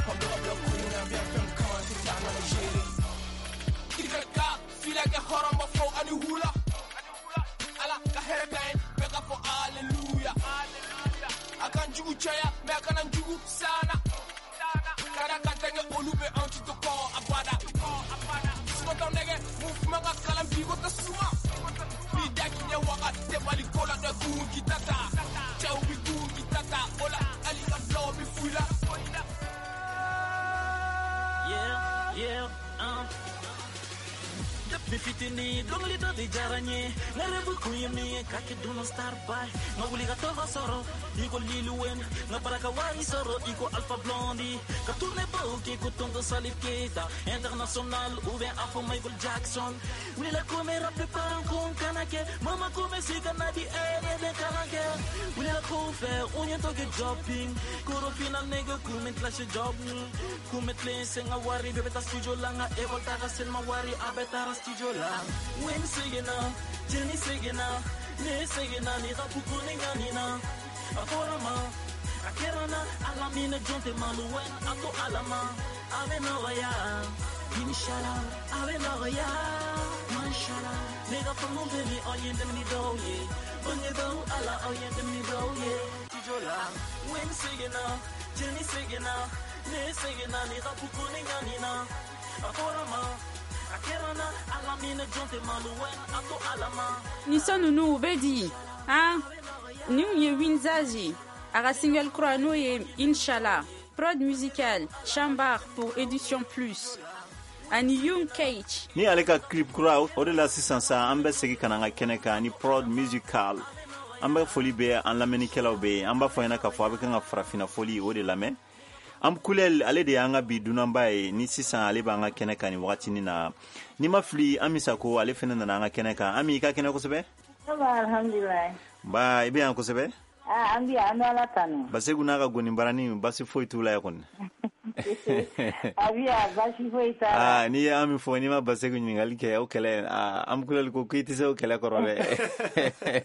an bila kun na bɛɛ fɛn kama tɛ taa na ma gere kirikara fila kɛ hɔrɔn b'a fɔ ani hula ala ka hɛrɛ ka ye bɛɛ ka fɔ aleluya a kan jugu caya mɛ a kana jugu sana kada ka tɛgɛ olu bɛ anw ci to kɔ abada sumatɔ nɛgɛ mun kuma ka kalan bi ko tɛ suma ni da k'i ɲɛ waga tɛ bali ko la dɛ kun k'i ta ta cɛw bi kun k'i ta ta o la hali ka filaw bi f'u la. Yeah, yeah, um. Depuis fitini dɔnkili dɔ de diyara n ye n ka rêve kun ye min ye ka kɛ dunan star boy n ka wuli ka tɔgɔ sɔrɔ i ko Lil Wayne n ka baara ka wari sɔrɔ i ko Alpha Blondy ka tourner baw kɛ ko Tonton Salif Keita international ou bien a fɔ Michael Jackson wulila ko n bɛ rap parent ko n kana kɛ mama ko n bɛ se ka na di e de bɛ kalan kɛ wulila ko fɛ u ɲɛ tɔ kɛ jobbing korofina nege kun bɛ clash job kun bɛ tilen sen ka wari bɛɛ bɛ taa studio la n ka école taga selima wari a bɛɛ taara studio la Wayne seginna Jenny seginna ne seginna ni rap ko ne ɲanina a fɔra ma a kɛra n na ala minɛ jɔn tɛ malo Wayne a to ala ma a bɛ nɔgɔya inshallah a bɛ nɔgɔya mashallah ne ka faamu bɛ ni aw ye dɛmɛ ni dɔw ye bangebaaw ala aw ye dɛmɛ ni dɔw ye studio la Wayne seginna Jenny seginna ne seginna ni rap ko ne ɲanina a fɔra ma a kɛra n na ala minɛ jɔn tɛ malo Wayne a to ala ma Ni son ninnu u bɛ di han nin ye Winzazi a ka single kura n'o ye Inshallah prod musical Chambar pour Édition Plus ani Young Cage ni ale ka clip kura o de la sisan sa an bɛ segin ka na an ka kɛnɛ kan ni prod musical an bɛ foli bɛ an lamɛnnikɛlaw bɛ yen an b'a fɔ ɲɛna k'a fɔ a bɛ kan ka farafinna foli o de lamɛn Amkulel ale de y'an ka bi dunanba ye ni sisan ale b'an ka kɛnɛ kan nin wagatinin na n'i ma fili Ami Sako ale fɛnɛ nana an ka kɛnɛ kan Ami i ka kɛnɛ kosɛbɛ Ça va, alhamdulilayi. Ba i bɛ yan kosɛbɛ Ah, an bɛ yan, an bɛ Ala tanu. Basegu n'a ka gonibarani basi foyi t'u la yan kɔni A bɛ yan, baasi foyi t'a la. Ah, n'i ye Ami fɔ n'i ma Basegu ɲininkali kɛ o kɛlɛ ah, Amkulel ko k'i tɛ se o kɛlɛ kɔrɔ dɛ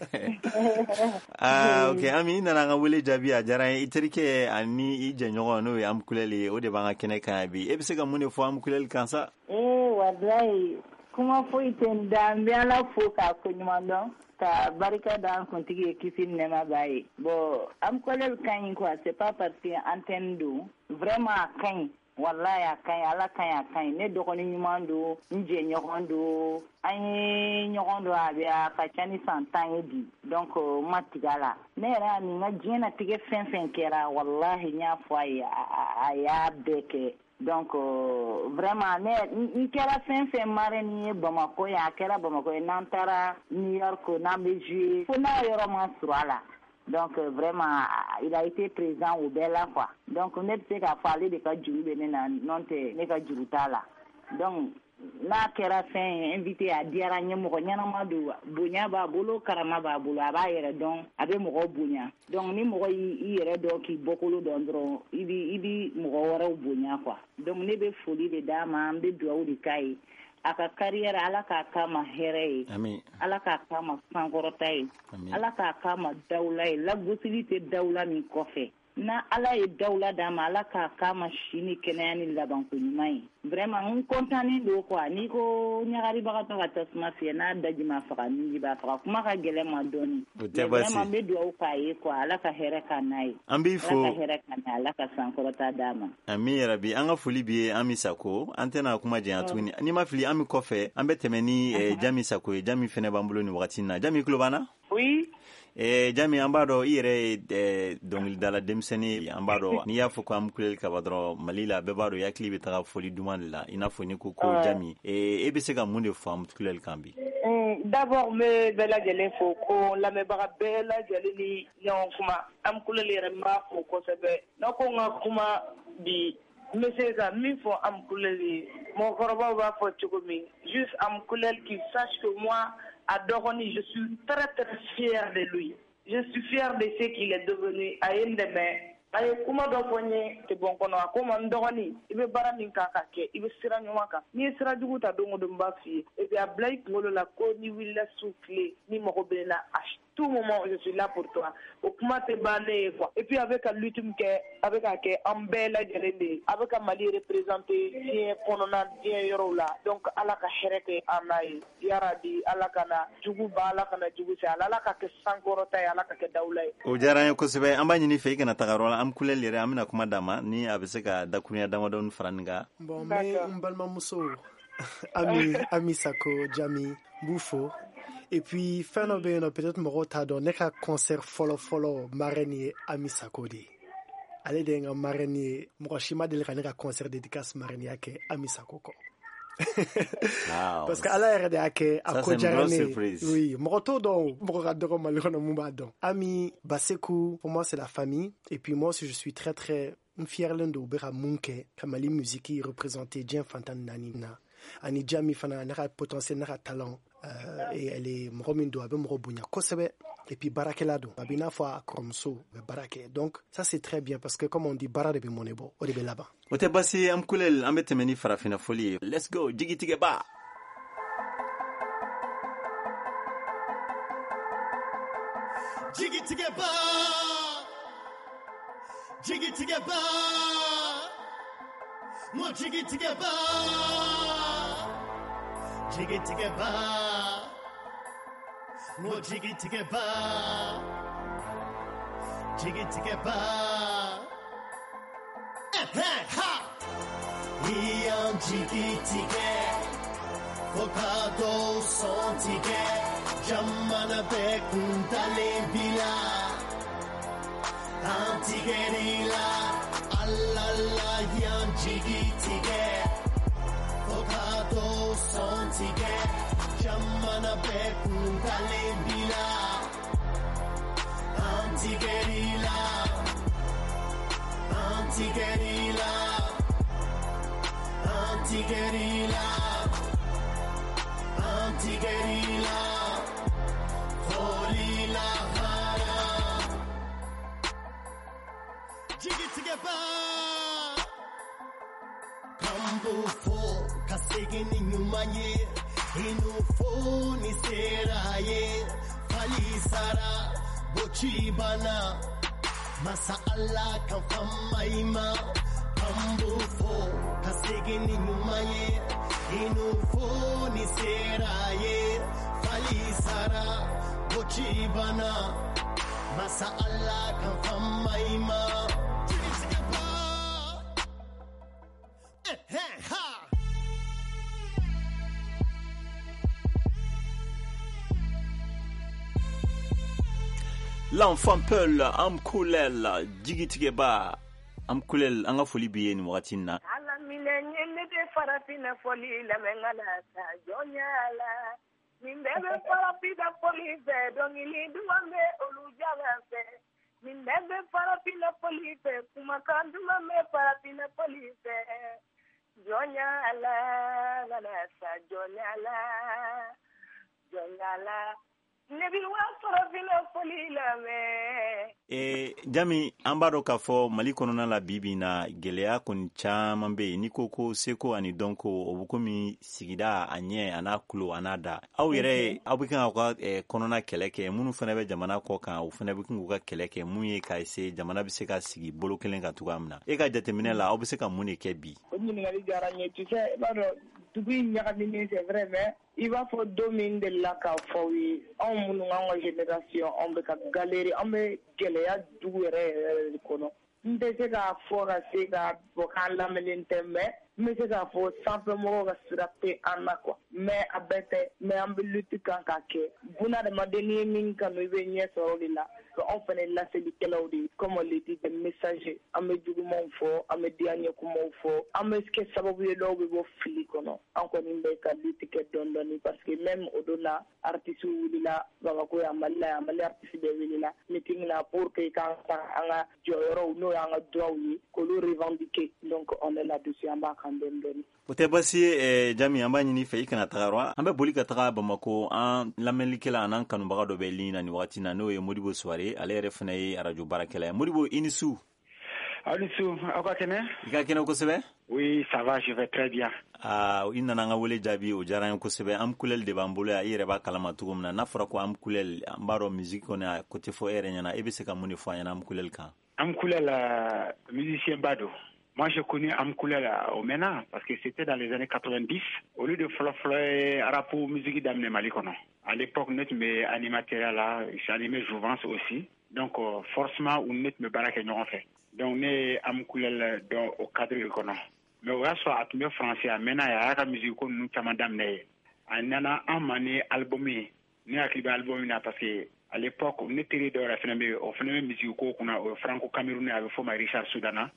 ah, ok Ami i nana an ka wele jaabi a diyara n ye i terikɛ ani i jɛɲɔgɔn n'o ye Amkulel ye o de b'an ka kɛnɛ kan yan bi e bɛ se ka mun de fɔ Amkulel kan sa Ee, walayi, kuma foyi tɛ n da, n bɛ Ala fo k'a koɲuman dɔn ka barika da an kuntigi ye kisi ni nɛɛma b'a ye. Bon, Amkulel ka ɲi quoi, c'est pas parce que antenne don, vraiment a ka ɲi. Walayi a ka ɲi, Ala ka ɲi a ka ɲi. Ne dɔgɔnin ɲuman don, n jɛɲɔgɔn don, an ye ɲɔgɔn dɔn a bɛ a ka ca ni san tan ye bi. Donc n ma tigɛ a la. Ne yɛrɛ y'a min n ka diɲɛnatigɛ fɛn fɛn kɛra, walahi n y'a fɔ a ye, a a y'a bɛɛ kɛ. Donc euh, vraiment ne n kɛra fɛn fɛn marraine ye Bamakɔ yan, a kɛra Bamakɔ ye, n'an taara New York n'an bɛ jouer fo n'a yɔrɔ ma surun a la. Donc euh, vraiment il a été présent au bɛɛ la quoi. Donc ne bɛ se k'a fɔ ale de ka juru bɛ ne na, n'o tɛ ne ka juru t'a la. Donc n'a kɛra fɛn ye invité a diyara n ye, mɔgɔ ɲɛnama don, bonya b'a bolo, karama b'a bolo, a b'a yɛrɛ dɔn, a bɛ mɔgɔw bonya. Donc ni mɔgɔ y'i yɛrɛ dɔn k'i bɔkolo dɔn dɔrɔn, i bi i bi mɔgɔ wɛrɛw bonya quoi. Donc ne bɛ foli de d'a ma, n bɛ dugawu de k'a ye. A ka carrière Ala k'a k'a ma hɛrɛ ye. Amin. Ala k'a k'a ma sankɔrɔta ye. Amin. Ala k'a k'a ma dawula ye, lagosili tɛ dawula min kɔfɛ. Na Ala ye dawula d'a ma, Ala k'a k'a ma si ni kɛnɛya ni labanko ɲuman ye. Vraiment n content don quoi. N'i ko ɲagaribagatɔ ka tasuma fiyɛ, n'a daji ma faga nunji b'a faga, kuma ka gɛlɛn ma dɔɔni. O tɛ Mais baasi. vraiment n bɛ dugawu k'a ye quoi, Ala ka hɛrɛ k'a n'a ye. An b'i fo. Ala ka hɛrɛ k'a n'a ye, Ala ka sankɔrɔta d'a ma. Ami yarabi an ka foli b'i ye Ami Sako an tɛna kuma janya tuguni n'i ma fili Ami kɔfɛ an bɛ tɛmɛ ni eh, Jami Sako ye Jami fɛnɛ b'an bolo nin wagati in na Jami i tulo b'an na Oui. Eh, Jami an b'a dɔn i yɛrɛ ye eh, dɔnkilidala denmisɛnnin ye an b'a dɔn n'i y'a fɔ ko Amkulel kaba dɔrɔn Mali la bɛɛ b'a dɔn i hakili bɛ taga foli duman de la i n'a fɔ n'i ko ko Ouais. Jami eh, e bɛ se ka mun de fɔ Amkulel kan bi Mm, D'abord n bɛ bɛɛ lajɛlen fo ko lamɛnbaga bɛɛ lajɛlen ni ɲɔgɔn kuma Amkulel yɛrɛ n b'a fo kosɛbɛ n'a ko n ka kuma bi n bɛ se ka min fɔ Amkulel ye mɔgɔkɔrɔbaw b'a fɔ cogo min juste Amkulel qui sache que moi a dɔgɔnin je suis très très fier de lui je suis fier de ce qu'il est devenu a ye n dɛmɛ a ye kuma dɔ fɔ n ye tɛ bɔ n kɔnɔ a ko n ma n dɔgɔnin i bɛ baara min kan ka kɛ i bɛ sira ɲuman kan n'i ye sira jugu ta don o don n b'a f'i ye et puis a bila i kunkolo la ko n'i wulila su tile ni mago bɛ ne la à tout moment je suis là pour toi o kuma tɛ ban ne ye quoi et puis a bɛ ka lutte min kɛ a bɛ ka kɛ an bɛɛ lajɛlen de ye a bɛ ka Mali représenter diɲɛ kɔnɔna diɲɛ yɔrɔw la donc Ala ka hɛrɛ kɛ an n'a ye yarabi Ala kana jugu ba Ala kana jugu se ala Ala ka kɛ sankɔrɔta ye Ala ka kɛ dawula ye o diyara an ye kosɛbɛ an b'a ɲini fɛ i kana taga yɔrɔ la Amkulel yɛrɛ an bɛna kuma d'a ma ni a bɛ se ka dakurunya damadɔni fara nin kan Bon, n bɛ n balimamuso Ami Ami Sako Jami n b'u fo et puis fɛn dɔ bɛ yen nɔ peut-être mɔgɔw t'a dɔn ne ka concert fɔlɔ fɔlɔ marraine ye Ami Sako de ye ale de ye n ka marraine ye mɔgɔ si ma deli ka ne ka concert dédicace marraine kɛ Ami Sako kɔ Wow. Parce que Ala yɛrɛ de y'a kɛ a ko diyara ne ye. Oui, mɔgɔ t'o dɔn, mɔgɔ ka dɔgɔ Mali kɔnɔ mun b'a dɔn. Ami, Baseku, pour moi c'est la famille. Et puis moi aussi je suis très très n fierlen don u bɛ ka mun kɛ ka Mali musique représenter diɲɛ fantan ni naani na. Ani Jami fana n'a ka potentiel n'a ka talent. Euh, et elle est mɔgɔ min don a bɛ mɔgɔ bonya kosɛbɛ. Et puis baarakɛla don, a bɛ i n'a fɔ a kɔrɔmuso bɛ baara kɛ. Donc ça c'est très bien parce que comme on dit, baara de bɛ mɔnɛ bɔ, o de bɛ laban. O tɛ baasi ye, Amkulel, an bɛ tɛmɛ ni farafinna fɔli ye. Let's go, jigitigɛba. Jigitigɛba, jigitigɛba, mo jigitigɛba, jigitigɛba, mo jigitigɛba, jigitigɛba. Eh ha! I y'an jigitigɛ, fo ka dɔw sɔn tigɛ, jamana bɛɛ kun dalen b'i la. An tigɛr'i la, ala la y'an jigitigɛ, fo ka dɔw sɔn tigɛ, jamana bɛɛ kun dalen b'i la. An tigɛr'i la, an tigɛr'i la, an tigɛr'i la, an tigɛr'i la, foli lahara. Jigitigɛba, kan b'o fɔ ka segin ni ɲuman ye, i n'o fɔ ni sera ye, fali sara, boci banna, masa Ala kan fama i ma. Kan b'o fɔ ka segin ni ɲuman ye, i n'o fɔ ni sera ye, fali sara, boci banna, masa Ala kan fama i ma. Jigitigɛba, eh eh ha. L'enfant Peul, Amkulel, jigitigɛba. Amkulel, an ka foli b'i ye nin wagati in na. Ala minɛ n ye ne de farafinna fɔli lamɛn ka na sa jɔnya la. Nin bɛɛ bɛ farafinna fɔli fɛ, dɔnkili duman bɛ olu jala fɛ. Nin bɛɛ bɛ farafinna fɔli fɛ, kumakan duman bɛ farafinna fɔli fɛ. Jɔnya la, ka na sa jɔnya la, jɔnya la. Ne bi wa farafinna fɔli lamɛn. Eh, Jami, an b'a dɔn k'a fɔ Mali kɔnɔna la bi bi in na gɛlɛya kɔni caman bɛ yen. N'i ko ko seko ani dɔnko, o bɛ komi sigida a ɲɛ a n'a kulo a n'a da. Aw yɛrɛ aw bɛ kan k'aw ka eh, kɔnɔna kɛlɛ kɛ, minnu fana bɛ jamana kɔ kan, o fana bɛ kan k'u ka kɛlɛ kɛ mun ye ka se jamana bɛ se ka sigi bolo kelen kan cogoya min na. E ka jateminɛ la, aw bɛ se ka mun de kɛ bi? O ɲininkali diyara n ye. Tu sais, i b'a dɔn dugu in ɲagaminen, c'est vrai, mais i b'a fɔ don min delila k'a fɔ aw ye, anw minnu k'an ka génération, anw bɛ ka galérer, an bɛ gɛlɛya dugu yɛrɛ yɛrɛ de kɔnɔ. N tɛ se k'a fɔ ka se k'a fɔ k'an lamɛnnen tɛ, mais n bɛ se k'a fɔ sanfɛmɔgɔw ka sira tɛ an na quoi. Mais a bɛɛ tɛ, mais an bɛ lutte kan k'a kɛ. Bunadamaden, n'i ye min kanu, i bɛ ɲɛ sɔrɔ o de la. Anw fana ye laselikɛlaw de ye, comme on le dit, des messagers. An bɛ jugumanw fɔ, an bɛ diyaɲɛ kumaw fɔ, an bɛ kɛ sababu ye dɔw bɛ bɔ fili kɔnɔ. An kɔni bɛ ka lutte kɛ dɔɔni dɔɔni parce que même o don na, artistes wulila Bamakɔ yan, Mali la yan, Mali artiste bɛɛ wulila meeting la pour que k'an ta an ka jɔyɔrɔw, n'o y'an ka droits ye, k'olu revendiquer. Donc on est là-dessus, an b'a kan dɔɔni dɔɔni. O tɛ baasi ye, eh, Jami, an b'a ɲini fɛ i kana taga yɔrɔ. An bɛ boli ka taga Bamako, an lamɛnlikɛla an'an kanubaga dɔ bɛ ligne na nin wagati na, n'o ye Modibo Suware, ale yɛrɛ fana ye arajo baarakɛla ye. Modibo, i ni su. Aw ni su, aw ka kɛnɛ? I ka kɛnɛ kosɛbɛ? Oui, ça va, je vais très bien. Aa, i nana an ka wele jaabi, o diyara an ye kosɛbɛ. Amkulel de b'an bolo yan, i yɛrɛ b'a kalama cogo min na. N'a fɔra ko Amkulel, an b'a dɔn musique kɔni a ko tɛ fɔ e yɛrɛ ɲɛna. E bɛ se ka mun de fɔ an ɲɛna Amkulel kan? Amkulel, euh, musicien ba don. Moi, j'ai connu Amkulel au MENA parce que c'était dans les années quatre-vingt-dix. Au lieu de fɔlɔ fɔlɔ ye rap musique daminɛ Mali kɔnɔ. À l'époque, ne tun bɛ animateur la, j'animais Jouvence aussi. Donc, euh, forcément, u ne tun bɛ baara kɛ ɲɔgɔn fɛ. Donc, ne ye Amkulel dɔn o cadre de kɔnɔ. Mais o y'a sɔrɔ a tun bɛ français a mɛnna yen, a y'a ka musique ko ninnu caman daminɛ yen. A nana an ma ni album ye. Ne hakili bɛ album na parce que à l'époque, ne teri dɔ yɛrɛ fana bɛ yen, o fana bɛ musique ko kunna, o ye franco-camerounais, a bɛ f'o ma Richard Soudana.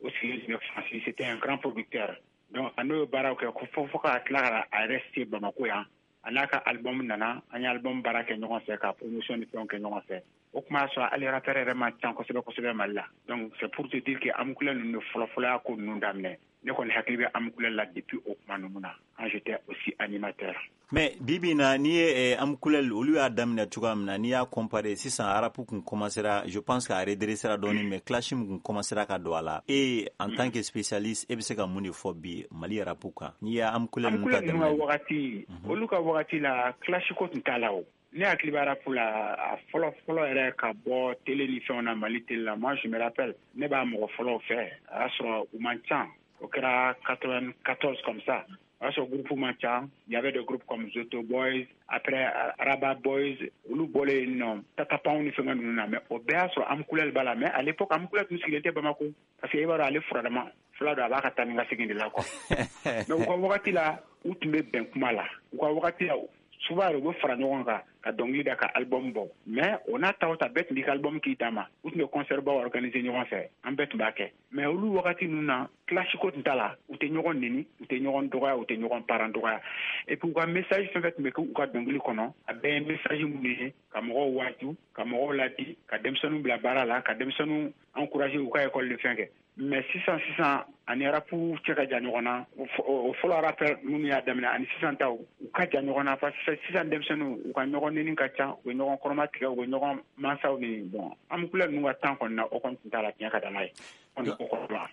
O sigilen tun bɛ France, c'était un grand producteur. Donc a n'o ye baaraw kɛ fo fo ka tila ka a yɛrɛ se Bamako yan. A n'a ka album nana, an ye album baara kɛ ɲɔgɔn fɛ, ka promotion ni fɛnw kɛ ɲɔgɔn fɛ. O kuma y'a sɔrɔ hali rappeur yɛrɛ man ca kosɛbɛ kosɛbɛ Mali la. Donc c'est pour te dire que Amukule ninnu de fɔlɔ fɔlɔ y'a ko ninnu daminɛ. Ne kɔni hakili bɛ Amukule la depuis o kuma ninnu na, quand j'étais aussi animateur. Mais bi bi in na, n'i ye Amukule olu y'a daminɛ cogoya min na, n'i y'a comparer sisan, rap kun commencera, je pense k'a redressera dɔɔni, mais clash min kun commencera ka don a la, e en tant que spécialiste, e bɛ se ka mun de fɔ bi Mali rap kan, n'i ye Amukule ninnu ta daminɛ? Ka wagati, olu ka wagati la, clash ko tun t'a la. O ne hakili b'a rap la, a fɔlɔ fɔlɔ yɛrɛ ka bɔ télé ni fɛnw na, Mali télé la, moi je me rappelle, ne b'a mɔgɔ fɔlɔw fɛ, a y'a sɔrɔ u man ca. O kɛra quatre-vingt-quatorze comme ça. O y'a sɔrɔ groupe man ca. Il y avait des groupes comme Zoto Boys, après Rabat Boys, olu bɔlen yen nɔ, Tatapanw ni fɛngɛ ninnu na. Mais o bɛɛ y'a sɔrɔ Amukule b'a la. Mais à l'époque, Amukule tun sigilen tɛ Bamako, parce que i b'a dɔn, ale furadama fula don, a b'a ka taa ni ka segin de la quoi. Mais u ka wagati la, u tun bɛ bɛn kuma la. U ka wagati la, souvent yɛrɛ, u bɛ fara ɲɔgɔn kan ka dɔnkili da, ka album bɔ. Mais o n'a ta o ta, bɛɛ tun b'i ka album k'i d'a ma. U tun bɛ concert baw organiser ɲɔgɔn fɛ, an bɛɛ tun b'a kɛ. Mais olu wagati ninnu na, clash ko tun t'a la. U tɛ ɲɔgɔn neni, u tɛ ɲɔgɔn dɔgɔya, u tɛ ɲɔgɔn parent dɔgɔya. Et puis u ka message fɛn fɛn tun bɛ kɛ u ka dɔnkili kɔnɔ, a bɛɛ ye message minnu ye ka mɔgɔw waaju, ka mɔgɔw ladi, ka denmisɛnninw bila baara la, ka denmisɛnninw encourager u ka école de fɛn kɛ. Mais sisan sisan, ani rap cɛ ka jan ɲɔgɔn na. O fɔlɔ rappeur minnu y'a daminɛ ani sisan taw, u ka jan ɲɔgɔn na, parce que sisan denmisɛnninw, u ka ɲɔgɔn neni ka ca, u bɛ ɲɔgɔn kɔrɔma tigɛ, u bɛ ɲɔgɔn mansaw ni. Bon, Amukule ninnu ka temps kɔni na, o kɔni tun t'a la. Tiɲɛ ka da n'a ye.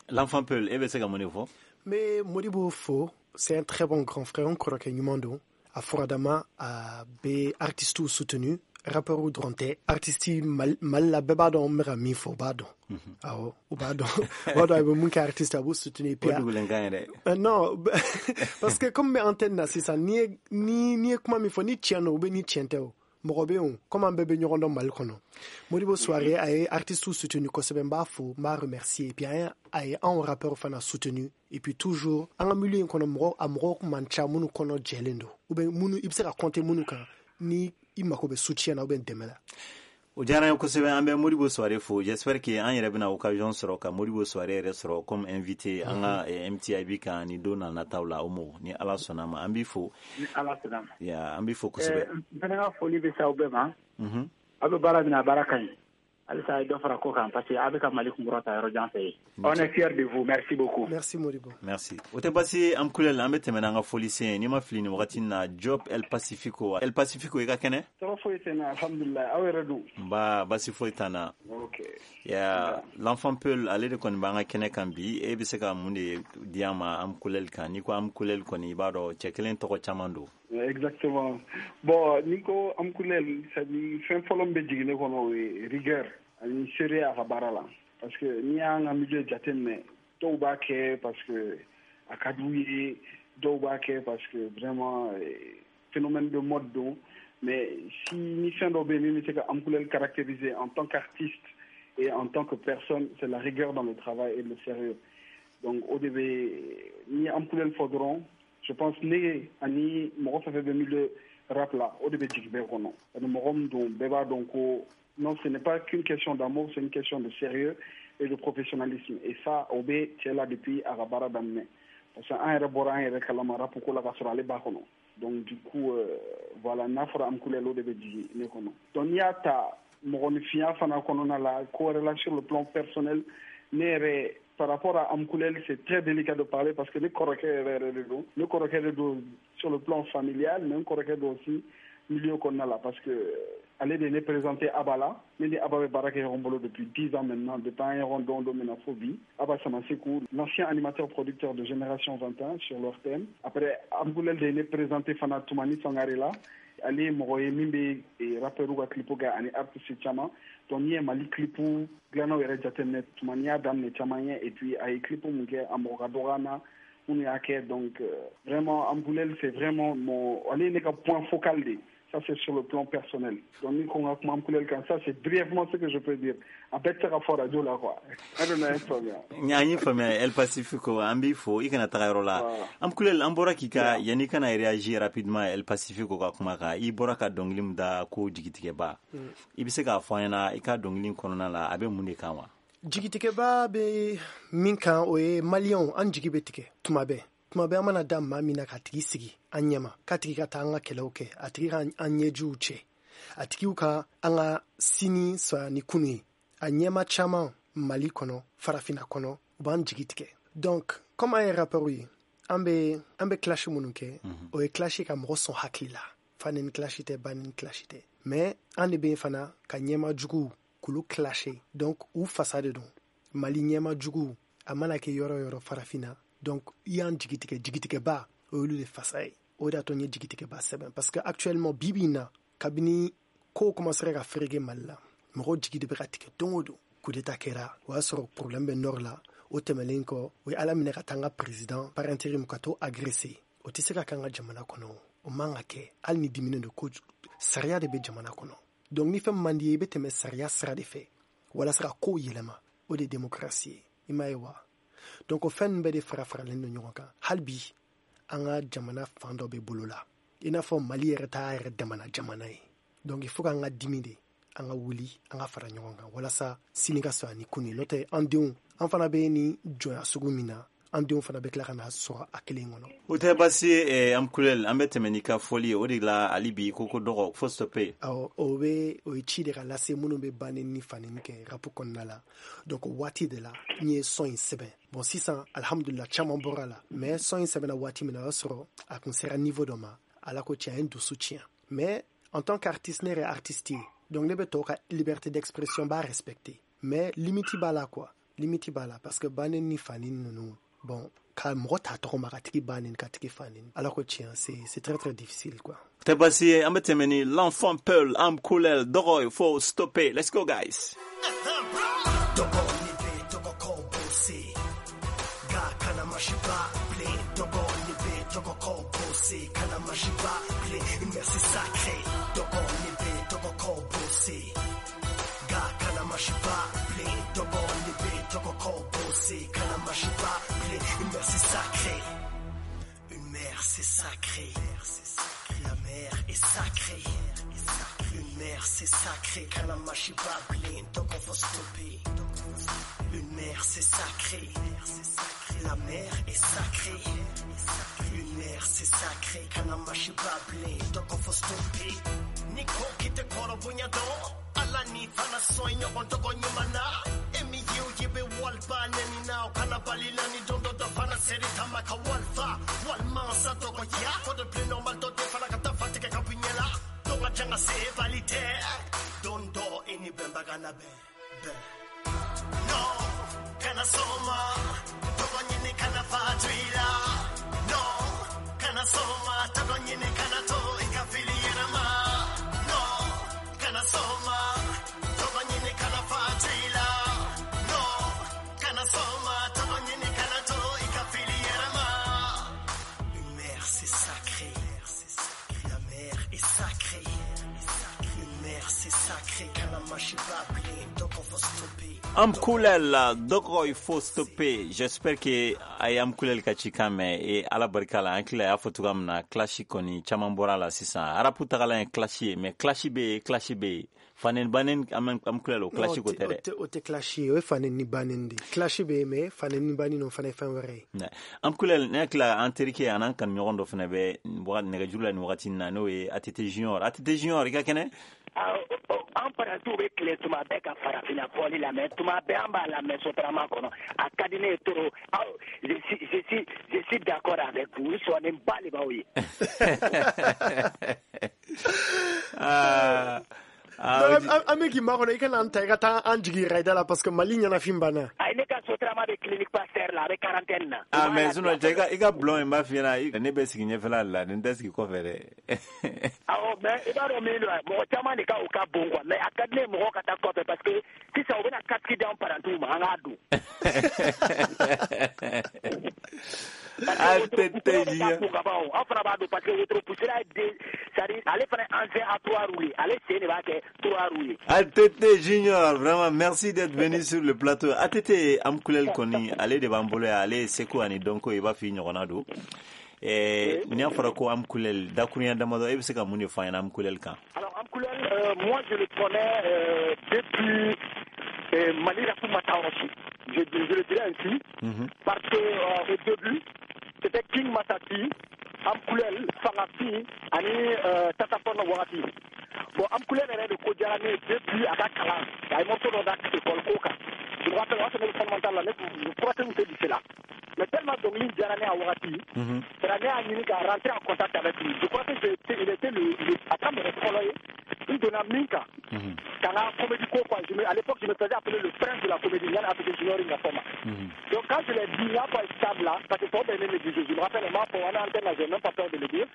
L'enfant Peul, e bɛ se ka mun de fɔ? N bɛ Modibo fo, c'est un très bon grand frère, n kɔrɔkɛ ɲuman don. A furadama, a bɛ artistes soutenu, rappeur dɔrɔn tɛ, artiste Mali la, bɛɛ b'a dɔn n bɛ ka min fɔ, u b'a dɔn. Awɔ, u b'a dɔn, u b'a dɔn a bɛ mun kɛ artiste, a b'u soutenir. O dugulen kan yɛrɛ. Non, parce que comme n bɛ antenne na sisan, n'i ye ni n'i ye kuma min fɔ, ni tiɲɛ don ou bien ni tiɲɛ tɛ, o mɔgɔ bɛ yen, comme an bɛɛ bɛ ɲɔgɔn dɔn Mali kɔnɔ. Modibo Souaré, a ye artiste soutenu kosɛbɛ, n b'a fo, n b'a remercier. Et puis a ye a ye anw rappeur fana soutenu. Et puis toujours an ka milieu in kɔnɔ, mɔgɔ a mɔgɔw man ca minnu kɔnɔ jɛlen don, ou bien minnu i bɛ se ka compter minnu kan ni i mako bɛ soutien na ou bien dɛmɛ la. O diyara n ye kosɛbɛ. An bɛ Modibo Souaré fo. J'espère que an yɛrɛ bɛna occasion sɔrɔ ka Modibo Souaré yɛrɛ sɔrɔ comme invité an ka M T I B kan ni don na nataw la. O mɔ, ni Ala sɔnna ma, an b'i fo. Ni Ala sɔnna ma. Ya, an b'i fo kosɛbɛ. N fana ka foli bɛ se aw bɛɛ ma. Aw bɛ baara min na, a baara ka ɲi. Halisa a ye dɔ fara ko kan, parce que a bɛ ka Mali kunkɔrɔta yɔrɔ jan fɛ yen. On est fiers de vous, merci beaucoup. Merci Modibo. Merci. O tɛ baasi ye, Amukule. An bɛ tɛmɛ n'an ka folisen ye. N'i ma fili, nin wagati in na, Job El Pacifico, El Pacifico, i ka kɛnɛ? Tɔɔrɔ foyi tɛ n na, alhamdulilayi. Aw yɛrɛ dun? Nba, basi foyi t'an na. Ok. Ya, l'enfant Peul, ale de kɔni b'an ka kɛnɛ kan bi. E bɛ se ka mun de di an ma Amukule kan? N'i ko Amukule kɔni, i b'a dɔn cɛ kelen tɔgɔ caman don. Exactement. Bon, n'i ko Amukule, c'est à dire fɛn fɔlɔ min bɛ jigin ne kɔnɔ, o ye rigueur ani sérieux a ka baara la. Parce que n'i y'an ka milieu jateminɛ, dɔw b'a kɛ parce que a ka d'u ye, dɔw b'a kɛ parce que vraiment phénomène de mode don. Mais si ni fɛn dɔ bɛ yen min bɛ se ka Amukule caractériser en tant qu'artiste et en tant que personne, c'est la rigueur dans le travail et le sérieux. Donc o de bɛ, n'i ye Amukule fɔ dɔrɔn, je pense ne ani mɔgɔ fɛn fɛn bɛ milieu rap la, o de bɛ jigin bɛɛ kɔnɔ. Ani mɔgɔ min don, bɛɛ b'a dɔn ko non, ce n'est pas qu'une question d'amour, c'est une question de sérieux et de professionnalisme. Et ça, o bɛ cɛ la depuis a ka baara daminɛ, parce que an yɛrɛ bɔra an yɛrɛ kalama rap ko la ka sɔrɔ ale b'a kɔnɔ. Donc du coup, euh, voilà, n'a fɔra Amukule, o de bɛ jigin ne kɔnɔ. Donc n'i y'a ta mɔgɔninfinya fana kɔnɔna la, ko wɛrɛ la, sur le plan personnel, ne yɛrɛ, par rapport à Amkoulel, c'est très délicat de parler parce que ne kɔrɔkɛ yɛrɛ yɛrɛ de don. Ne kɔrɔkɛ de don sur le plan familial, mais n kɔrɔkɛ don aussi milieu kɔnɔna la, parce que ale de ne présenté Abba la. Ne ni Abba bɛ baara kɛ ɲɔgɔn bolo depuis dix ans maintenant, depuis an ye ɲɔgɔn dɔn don min na fo bi. Abba Samasekou, l'ancien animateur producteur de Génération vingt et un sur l'O R T M. Après, Amkoulel de ne présenté fana Toumani Sangare la. Ale ye mɔgɔ ye min bɛ rappeur ka clip kɛ ani artiste caman. Donc n'i ye Mali clip dilannaw yɛrɛ jateminɛ, Toumani y'a daminɛ caman ye. Et puis a ye clip mun kɛ, a mɔgɔ ka dɔgɔ an na minnu y'a kɛ. Donc vraiment, Amkoulel, c'est vraiment mon, ale ye ne ka point focal de. Ça, c'est sur le plan personnel. Donc ni ko n ka kuma Amkoulel kan, ça, c'est brièvement ce que je peux dire. A bɛɛ tɛ se ka fɔ radio la quoi. An de n'a faamuya. An y'i faamuya, El Pacifico, an b'i fo, i kana taga yɔrɔ la. Amkoulel, an bɔra k'i ka, yanni kana réagir rapidement El Pacifico ka kuma kan, i bɔra ka dɔnkili min da ko Jigitigɛba, i bɛ se k'a fɔ an ɲɛna i ka dɔnkili kɔnɔna la, a bɛ mun de kan wa? Jigitigɛba bɛ min kan, o ye maliyɛnw, an jigi bɛ tigɛ tuma bɛɛ. Tuma Tuma bɛɛ an mana da maa min na k'a tigi sigi an ɲɛma, k'a tigi ka taa an ka kɛlɛw kɛ, a tigi ka an ɲɛjiw cɛ, a tigiw ka an ka sini sɔrɔ ni kunu ye. A ɲɛma caman Mali kɔnɔ, farafinna kɔnɔ, u b'an jigi tigɛ. Donc comme an ye rappeur ye, an bɛ an bɛ clash minnu kɛ, o ye clash ka mɔgɔ sɔn hakili la. Fa ni clash tɛ, ba ni clash tɛ, mais an de bɛ yen fana ka ɲɛma juguw k'olu clasher. Donc u fasa de don Mali ɲɛma juguw, a mana kɛ yɔrɔ yɔrɔ farafinna. Donc i y'an jigi tigɛ, jigitigɛba o y'olu de fasa ye. O de y'a to n ye jigitigɛba sɛbɛn, parce que actuellement bi bi in na, kabini kow commencera ka fereke Mali la, mɔgɔw jigi de bɛ ka tigɛ don o don. Coup d'état kɛra, o y'a sɔrɔ problème bɛ nord la. O tɛmɛlen kɔ, o ye Ala minɛ ka taa an ka président par intérim ka t'o agressé. O tɛ se ka k'an ka jamana kɔnɔ, o man ka kɛ. Hali ni diminen don ko, sariya de bɛ jamana kɔnɔ. Donc ni fɛn man di ye, i bɛ tɛmɛ sariya sira de fɛ walasa ka kow yɛlɛma. O de ye démocratie ye, i m'a ye wa? Donc o fɛn ninnu bɛɛ de fara faralen don ɲɔgɔn kan. Hali bi an ka jamana fan dɔ bɛ bolo la, i n'a fɔ Mali yɛrɛ t'a yɛrɛ damana jamana ye. Donc il faut k'an ka dimi de, an ka wuli, an ka fara ɲɔgɔn kan walasa sini ka sɔrɔ ani kunu. N'o tɛ, an denw, an fana bɛ ni jɔnya sugu min na, an denw fana bɛ tila ka na sɔrɔ a kelen kɔnɔ. O tɛ baasi ye. Amkulel, an bɛ tɛmɛ n'i ka fɔli ye. O de la hali bi ko ko dɔgɔ fo stopper. Awɔ, o bɛ o ye ci de ka lase minnu bɛ banni ni fanni kɛ rap kɔnɔna la. Donc o waati de la n ye son in sɛbɛn. Bon, sisan alhamdulillah, caman bɔra la, mais son in sɛbɛnna waati min na, o y'a sɔrɔ a kun sera niveau dɔ ma. Ala ko tiɲɛ, a ye n dusu tiɲɛ. Mais en tant qu'artiste, ne yɛrɛ artiste ye, donc ne bɛ tɔw ka liberté d'expression b'a respecter, mais limite b'a la quoi, limite b'a la, parce que banni ni fanni ninnu, bon, ka mɔgɔ ta tɔgɔ ma ka tigi ba neni, ka tigi fa neni, Ala ko tiɲɛ, c'est c'est très très difficile quoi. Tɛ baasi ye. An bɛ tɛmɛ ni l'enfant Peul, Amkulel, dɔgɔ fo stopper. Let's go guys. Dɔgɔ ni bɛ tɔgɔ kɔ bose, nka kana masiba bilen. Dɔgɔ ni bɛ tɔgɔ kɔ bose, kana masiba bilen. Une mère c'est sacré. Dɔgɔ ni bɛ tɔgɔ kɔ bose, nka kana masiba bilen. Dɔgɔ ni bɛ tɔgɔ kɔ bose, kana masiba bilen. Une mère c'est sacré. Une mère c'est sacré. La mère est sacrée. Une mère c'est sacré. Kana mashiba bilen, dɔgɔ faut stopper. Une mère c'est sacré. La mère est sacrée. Une mère c'est sacré. Kana mashiba bilen, dɔgɔ faut stopper. Ni ko kite kɔrɔ bonya dɔn, Ala ni fana sɔn ɲɔgɔn tɔgɔ ɲuman na. E min ye o ye bɛ waliba nɛni na, o kana bali la ni don dɔ dɔ fana seri tama ka walifa walima sa tɔgɔ ya ko de plus normal dɔ tɛ fana ka taa fa tigɛ ka bɔ i ɲɛ la. Dɔn ka can ka se bali tɛ don dɔ e ni bɛnbaga na bɛn bɛn. Non, kana sɔn ma tɔgɔ ɲini kana fa to i la. Non, kana sɔn ma tɔgɔ ɲini kana to i ka fili yɛrɛ ma. Non, kana sɔn ma tɔgɔ ɲini kana fa to i la. Non, kana sɔn ma tɔgɔ ɲini kana to i ka fili yɛrɛ ma. Une mère c'est sacré. La mère est sacrée. Une mère c'est sacré. Kana mashiba bilen, dɔgɔ faut stopper. Amkulel, dɔgɔ il faut stopper. J'espère que a ye Amkulel ka cikan mɛn. E Ala barika la, an hakili la y'a fɔ cogoya min na, clash kɔni caman bɔra la sisan. Rap tagalan ye clash ye, mais clash bɛ yen, clash bɛ yen. Faneni banen, Amkulel, o clash ko tɛ dɛ. O tɛ clash ye, o ye faneni ni banen de. Clash bɛ yen, mais faneni ni banen o fana ye fɛn wɛrɛ ye. Amkulel, ne hakili la an terikɛ an'an kanuɲɔgɔn dɔ fana bɛ nɛgɛjuru la nin wagati in na, n'o ye A T T Junior. A T T Junior, i ka kɛnɛ? An parantiw bɛ tile tuma bɛɛ ka farafinna fɔli lamɛn, tuma bɛɛ an b'a lamɛn Sotrama kɔnɔ. A ka di ne ye trop. Je suis je suis je suis d'accord avec vous. N sɔnnen ba de b'aw ye. Ah. An bɛ k'i makɔnɔ, i kana an ta i ka taa an jigi yɛrɛ da la, parce que Mali ɲɛnafin banna. Ayi, ne ka Sotrama bɛ clinique Pasteur la, a bɛ quarantaine na. Ah, mais sinon cɛ, i ka i ka bulon in b'a f'i ɲɛna, ne bɛ sigi ɲɛfɛla de la, nin tɛ sigi kɔfɛ dɛ. Awɔ, mais i b'a dɔn min don, mɔgɔ caman de ka o ka bon quoi, mais a ka di ne ye mɔgɔw ka taa kɔfɛ, parce que sisan u bɛna casque d'an parantiw ma, an k'a don. A T T Junior. Aw fana b'a dɔn, parce que wotoro poussera ye den, c'est-à-dire ale fana ye engin à trois roues ye, ale sen de b'a kɛ trois roues ye. A T T Junior, vraiment merci d'être venu sur le plateau. A T T Amkulel kɔni, ale de b'an bolo yan, ale ye seko ani dɔnko, i b'a f'i ɲɔgɔnna don. Eh, n'i y'a fɔra ko Amkulel, dakurunya damadɔ, e bɛ se ka mun de fɔ an ɲɛna Amkulel kan? Alors Amkulel, euh, moi je le connais euh, depuis euh, Mali Rap ma taa yɔrɔ si. Je, je le dirais ainsi, mm-hmm. parce que euh, au début, C'était King Matati, Amkulel, Fangafin ani euh, Tata Pɔn wagati. Bon, Amkulel yɛrɛ de ko diyara ne ye depuis a ka kalan, a ye morceau dɔ da école ko kan. Je me rappelle, o y'a sɔrɔ ne bɛ fondamental la, ne tun troisième tɛ lycée la. Mais tellement dɔnkili diyara ne a wagati, c'est ne y'a ɲini ka rentrer en contact avec lui. Je crois que j'ai il était le, le a ka mɔgɔ fɔlɔ ye n donna min kan ka n ka comédie ko quoi. Je me, à l'époque, je me faisais appeler le prince de la comédie, Yann Afrique Junior Ngafoma. Donc quand je l'ai dit, n y'a fɔ a ye stade là, parce que tɔw bɛɛ ye ne négligé. Je me rappelle, on m'a fɔ an antenne là, j'ai même pas peur de le dire.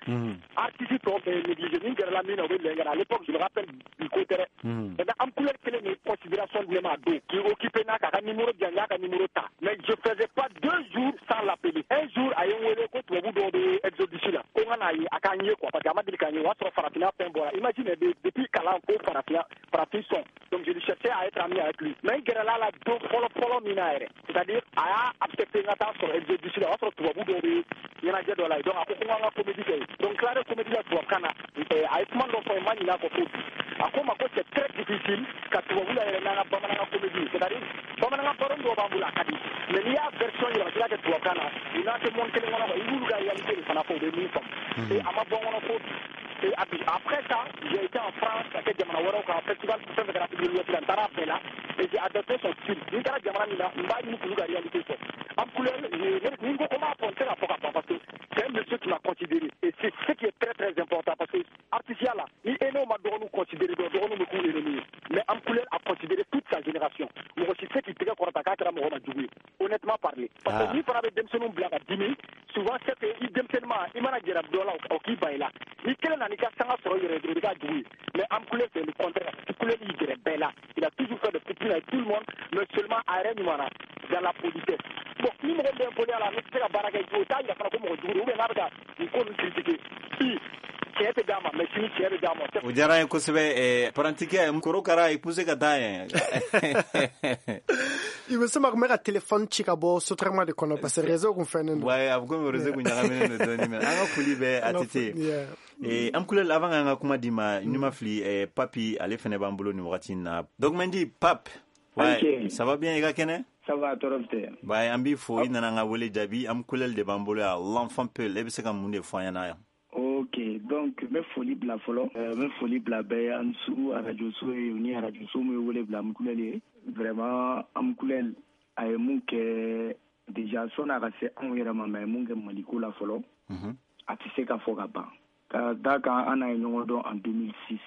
Artiste tɔw bɛɛ ye négligé, ni gɛrɛla min na o bɛ lɛn. À l'époque, je me rappelle bi ko tɛ dɛ. Maintenant Amkulel kelen de considération di ne ma a don k'i occupé n'a k'a ka numéro di yan, n y'a ka numéro ta. Mais je faisais pas deux jours sans l'appeler. Un jour, a ye n wele ko tubabu dɔw bɛ Exodus la, ko n ka n'a ye a k'an ye quoi, parce que a ma deli k'an ye. O y'a sɔrɔ farafinna fɛn bɔra. Imagine, depuis kalan ko farafinna farafin sɔn. Donc je cherchais à être ami avec lui. Mais n gɛrɛla la don fɔlɔ fɔlɔ min na yɛrɛ, c'est-à-dire a y'a accepté n ka taa sɔrɔ Exodus la. O y'a sɔrɔ tubabu dɔw bɛ ɲɛnajɛ dɔ la yen. Donc a ko ko n k'an ka comédie kɛ yen. Donc n tilara comédie la tubabukan na. A ye kuma dɔ fɔ n ma ɲinɛ a kɔ fo bi. A ko n ma ko c'est très difficile ka tubabu la yɛrɛ n'an ka bamanankan comédie, c'est-à-dire bamanankan baro dɔw b'an bolo a ka di, mais n'i y'a version yɛlɛma k'i b'a kɛ tubabukan na, u n'a tɛ monde kelen kɔnɔ quoi. I b'olu ka réalité de fana fɔ, u bɛ min faamu. Et a ma bɔ n kɔnɔ fo bi. Et après ça, j'ai été en France, ka kɛ jamana wɛrɛw kan, festival fɛn fɛn kɛra Afrique de l'Ouest la, n taara a bɛɛ la et j'ai adopté son style. Ni n taara jamana min na, n b'a ɲini k'olu ka réalité fɔ. Amkulel, ni n ko ko n b'a fɔ, n tɛ ka fɔ ka ban, parce que c'est un monsieur qui m'a considéré et c'est ce qui est très très important, parce que artisiya la, ni aîné ma dɔgɔninw considéré dɔrɔn, dɔgɔninw bɛ k'u ennemi ye. Mais Amkulel a considéré toute sa génération. Mɔgɔ si tɛ se k'i tɛgɛ kɔrɔta k'a kɛra mɔgɔ ma jugu ye, honnêtement parler. Parce que ni fana bɛ denmisɛnninw bila ka dimi, souvent c'est que i denmisɛnninma, i mana gɛrɛ dɔ la, o k'i ban i la. Ni kelen nana i ka sanga sɔrɔ i yɛrɛ ye dɔrɔn, i bɛ k'a jugu ye. Mais Amkulel, c'est le contraire. Amkulel y'i gɛrɛ bɛɛ la. Il a toujours fait de petits avec tout le monde, mais seulement a yɛrɛ ɲuman na dans la politesse. Bon, ni mɔgɔ min bɛ n la, ne tɛ se ka baara kɛ, o t'a yira fana ko mɔgɔ jugu don, ou bien n'a bɛ ka nin ko ninnu critiquer. Bi tiɲɛ tɛ d'a ma, mais sini tiɲɛ bɛ d'a ma. O diyara n ye kosɛbɛ. Parantikɛ korokara i poussé ka taa yen. I bɛ se ma kun bɛ ka téléphone ci ka bɔ sotrama de kɔnɔ, parce que réseau kun fɛnnen don. Ouais, a bɛ komi réseau kun ɲagaminen don dɔɔnin, mais an ka foli bɛ A T T. Eh, Amkulel, avant k'an ka kuma d'i ma, n'i ma fili, eh, Papi ale fɛnɛ b'an bolo nin wagati in na. Donc Mendy, Pape. Ouais, okay. Ça va bien i ka kɛnɛ? Ça va, tɔɔrɔ tɛ. Ouais, an b'i fo, i nana an ka wele jaabi. Amkulel de b'an bolo yan, l'enfant peul. E bɛ se ka mun de fɔ an ɲɛna yan? Ok, donc n bɛ foli bila fɔlɔ. N bɛ foli bila bɛɛ ye, an su arajo so ye ni arajo so min ye wele bila Amkulel ye. Vraiment, Amkulel a ye mun kɛ déjà sɔnni a ka se anw yɛrɛ ma, mais a ye mun kɛ Maliko la fɔlɔ, a tɛ se ka fɔ ka ban. Ka d'a kan an n'a ye ɲɔgɔn dɔn en deux mille six,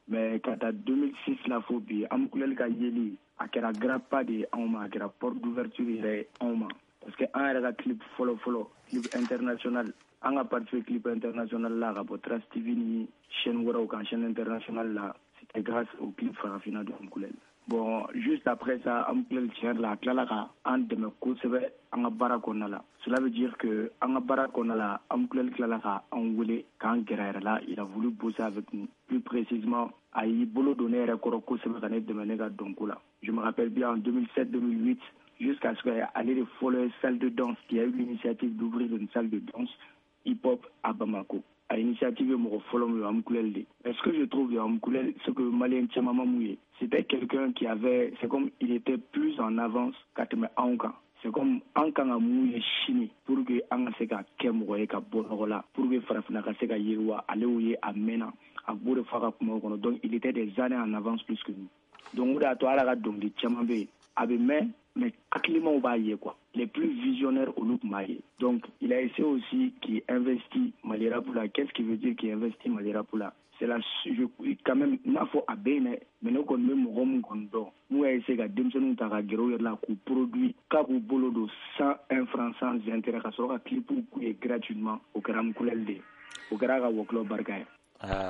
mais ka taa deux mille six la fo bi, Amkulel ka yeli a kɛra grand pas de ye anw ma, a kɛra porte d'ouverture yɛrɛ ye anw ma, parce que an yɛrɛ ka clip fɔlɔ fɔlɔ, clip international, an ka participer clip international la ka bɔ Trace T V ni chaîne wɛrɛw kan, chaîne internationale la, c'était grâce au clip Farafina de Amkulel. Bon, juste après ça, Amkulel tiɲɛ yɛrɛ la, a tilala ka an dɛmɛ kosɛbɛ an ka baara kɔnɔna la. Cela veut dire que an ka baara kɔnɔna la, Amkulel tilala ka an wele k'an gɛrɛ a yɛrɛ la, il a voulu bosser avec nous. Plus précisément, a y'i bolo don ne yɛrɛ kɔrɔ kosɛbɛ ka ne dɛmɛ ne ka dɔnko la. Je me rappelle bien en deux mille sept deux mille huit, jusqu'à ce que ale de fɔlɔ ye salle de danse, qui a eu l'initiative d'ouvrir une salle de danse hip-hop à Bamako. À l'initiative de mɔgɔ fɔlɔ min ye Amkulel de. Mais ce que je trouve de Amkulel, ce que Malien caman ma mun ye, c'était quelqu'un qui avait, c'est comme il était plus en avance ka tɛmɛ anw kan. C'est comme an kan ka mun ye sini pour que an ka se ka kɛ mɔgɔ ye ka bɔ nɔgɔ la, pour que farafinna ka se ka yiriwa, ale y'o ye a mɛnna, a b'o de fɔ a ka kumaw kɔnɔ. Donc il était des années en avance plus que nous. Donc o de y'a to ala ka dɔnkili caman bɛ yen, a bɛ mɛn, mais hakilimaw b'a ye quoi. Les plus visionnaires olu tun b'a ye. Donc il a essayé aussi qui investit Mali rap la. Qu'est-ce qui veut dire qu'il investit Mali rap la? C'est la, je, quand même, n'a fɔ a bɛ yen dɛ, mais ne kɔni bɛ mɔgɔ min kɔni dɔn, n'u y'a essayé ka denmisɛnninw ta ka gɛrɛ u yɛrɛ la k'u produit, k'a b'u bolo don sans un franc, sans intérêt, ka sɔrɔ ka clipw k'u ye gratuitement, o kɛra Amkulel de ye. O kɛra a ka wɔkulɔ barika ye.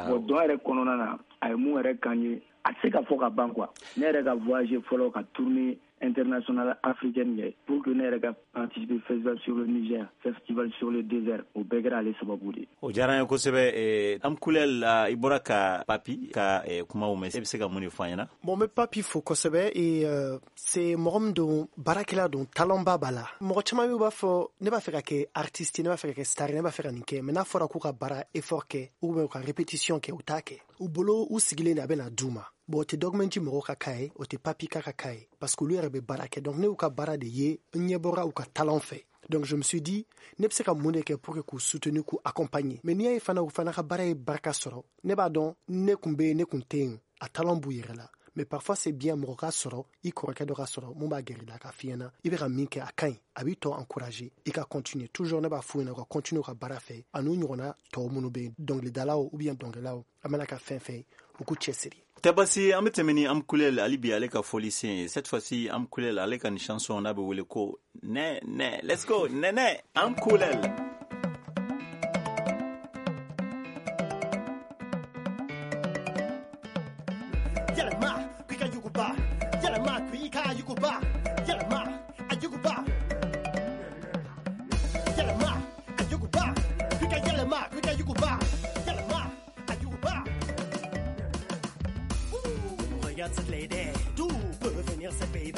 Bon, dɔn yɛrɛ kɔnɔna na, a ye mun yɛrɛ k'an ye, a tɛ se ka fɔ ka ban quoi. Ne yɛrɛ ka voyager fɔlɔ ka tournée internationale africaine kɛ pour que ne yɛrɛ ka participer festival sur le Niger, festival sur le désert, o bɛɛ kɛra ale sababu de ye. O diyara n ye kosɛbɛ. Amkulel, i bɔra ka Papi ka kumaw mɛn, e bɛ se ka mun de fɔ an ɲɛna? Bon, n bɛ Papi fo kosɛbɛ. Et euh, c'est mɔgɔ min don, baarakɛla don, talent ba b'a la. Mɔgɔ caman bɛ b'a fɔ ne b'a fɛ ka kɛ artiste, ne b'a fɛ ka kɛ star, ne b'a fɛ ka nin kɛ, mais n'a fɔra k'u ka baara effort kɛ ou bien u ka répétition kɛ, u t'a kɛ. U bolo u sigilen de a bɛ na d'u ma. Bon, o tɛ dɔgɔmɛnti mɔgɔw ka cas ye, o tɛ Papi ka ka cas ye, parce que olu yɛrɛ bɛ baara kɛ. Donc ne y'u ka baara de ye, n ɲɛ bɔra u ka talent fɛ. Donc je me suis dit ne bɛ se ka mun de kɛ pour que k'u soutenir, k'u accompagner. Mais n'i y'a ye fana, u fana ka baara ye barika sɔrɔ, ne b'a dɔn ne kun bɛ yen, ne kun tɛ yen, a talent b'u yɛrɛ la. Mais parfois c'est bien mɔgɔ ka sɔrɔ, i kɔrɔkɛ dɔ ka sɔrɔ mun b'a gɛrɛ i la k'a f'i ɲɛna i bɛ ka min kɛ a ka ɲi, a b'i tɔ encourager i ka continuer. Toujours ne b'a f'u ɲɛna u ka continuer u ka baara fɛ, a n'u ɲɔgɔnna tɔw minnu bɛ yen, dɔnkilidalaw ou bien dɔnkililaw, a mana ka fɛn fɛn, u k'u cɛsiri. Tɛ basi, an bɛ tɛmɛ ni Amkulel hali bi, ale ka fɔli sen ye. Cette fois-ci Amkulel ale ka nin chanson n'a bɛ wele ko nɛ nɛ. Let's go, nɛnɛ, Amkulel. Yɛlɛma k'i ka yuguba, yɛlɛma k'i ka yuguba, yɛlɛma a yuguba, yɛlɛma a yuguba, k'i ka yɛlɛma k'i ka yuguba, yɛlɛma a yuguba. Regarde cette lady, d'où peut venir cette baby,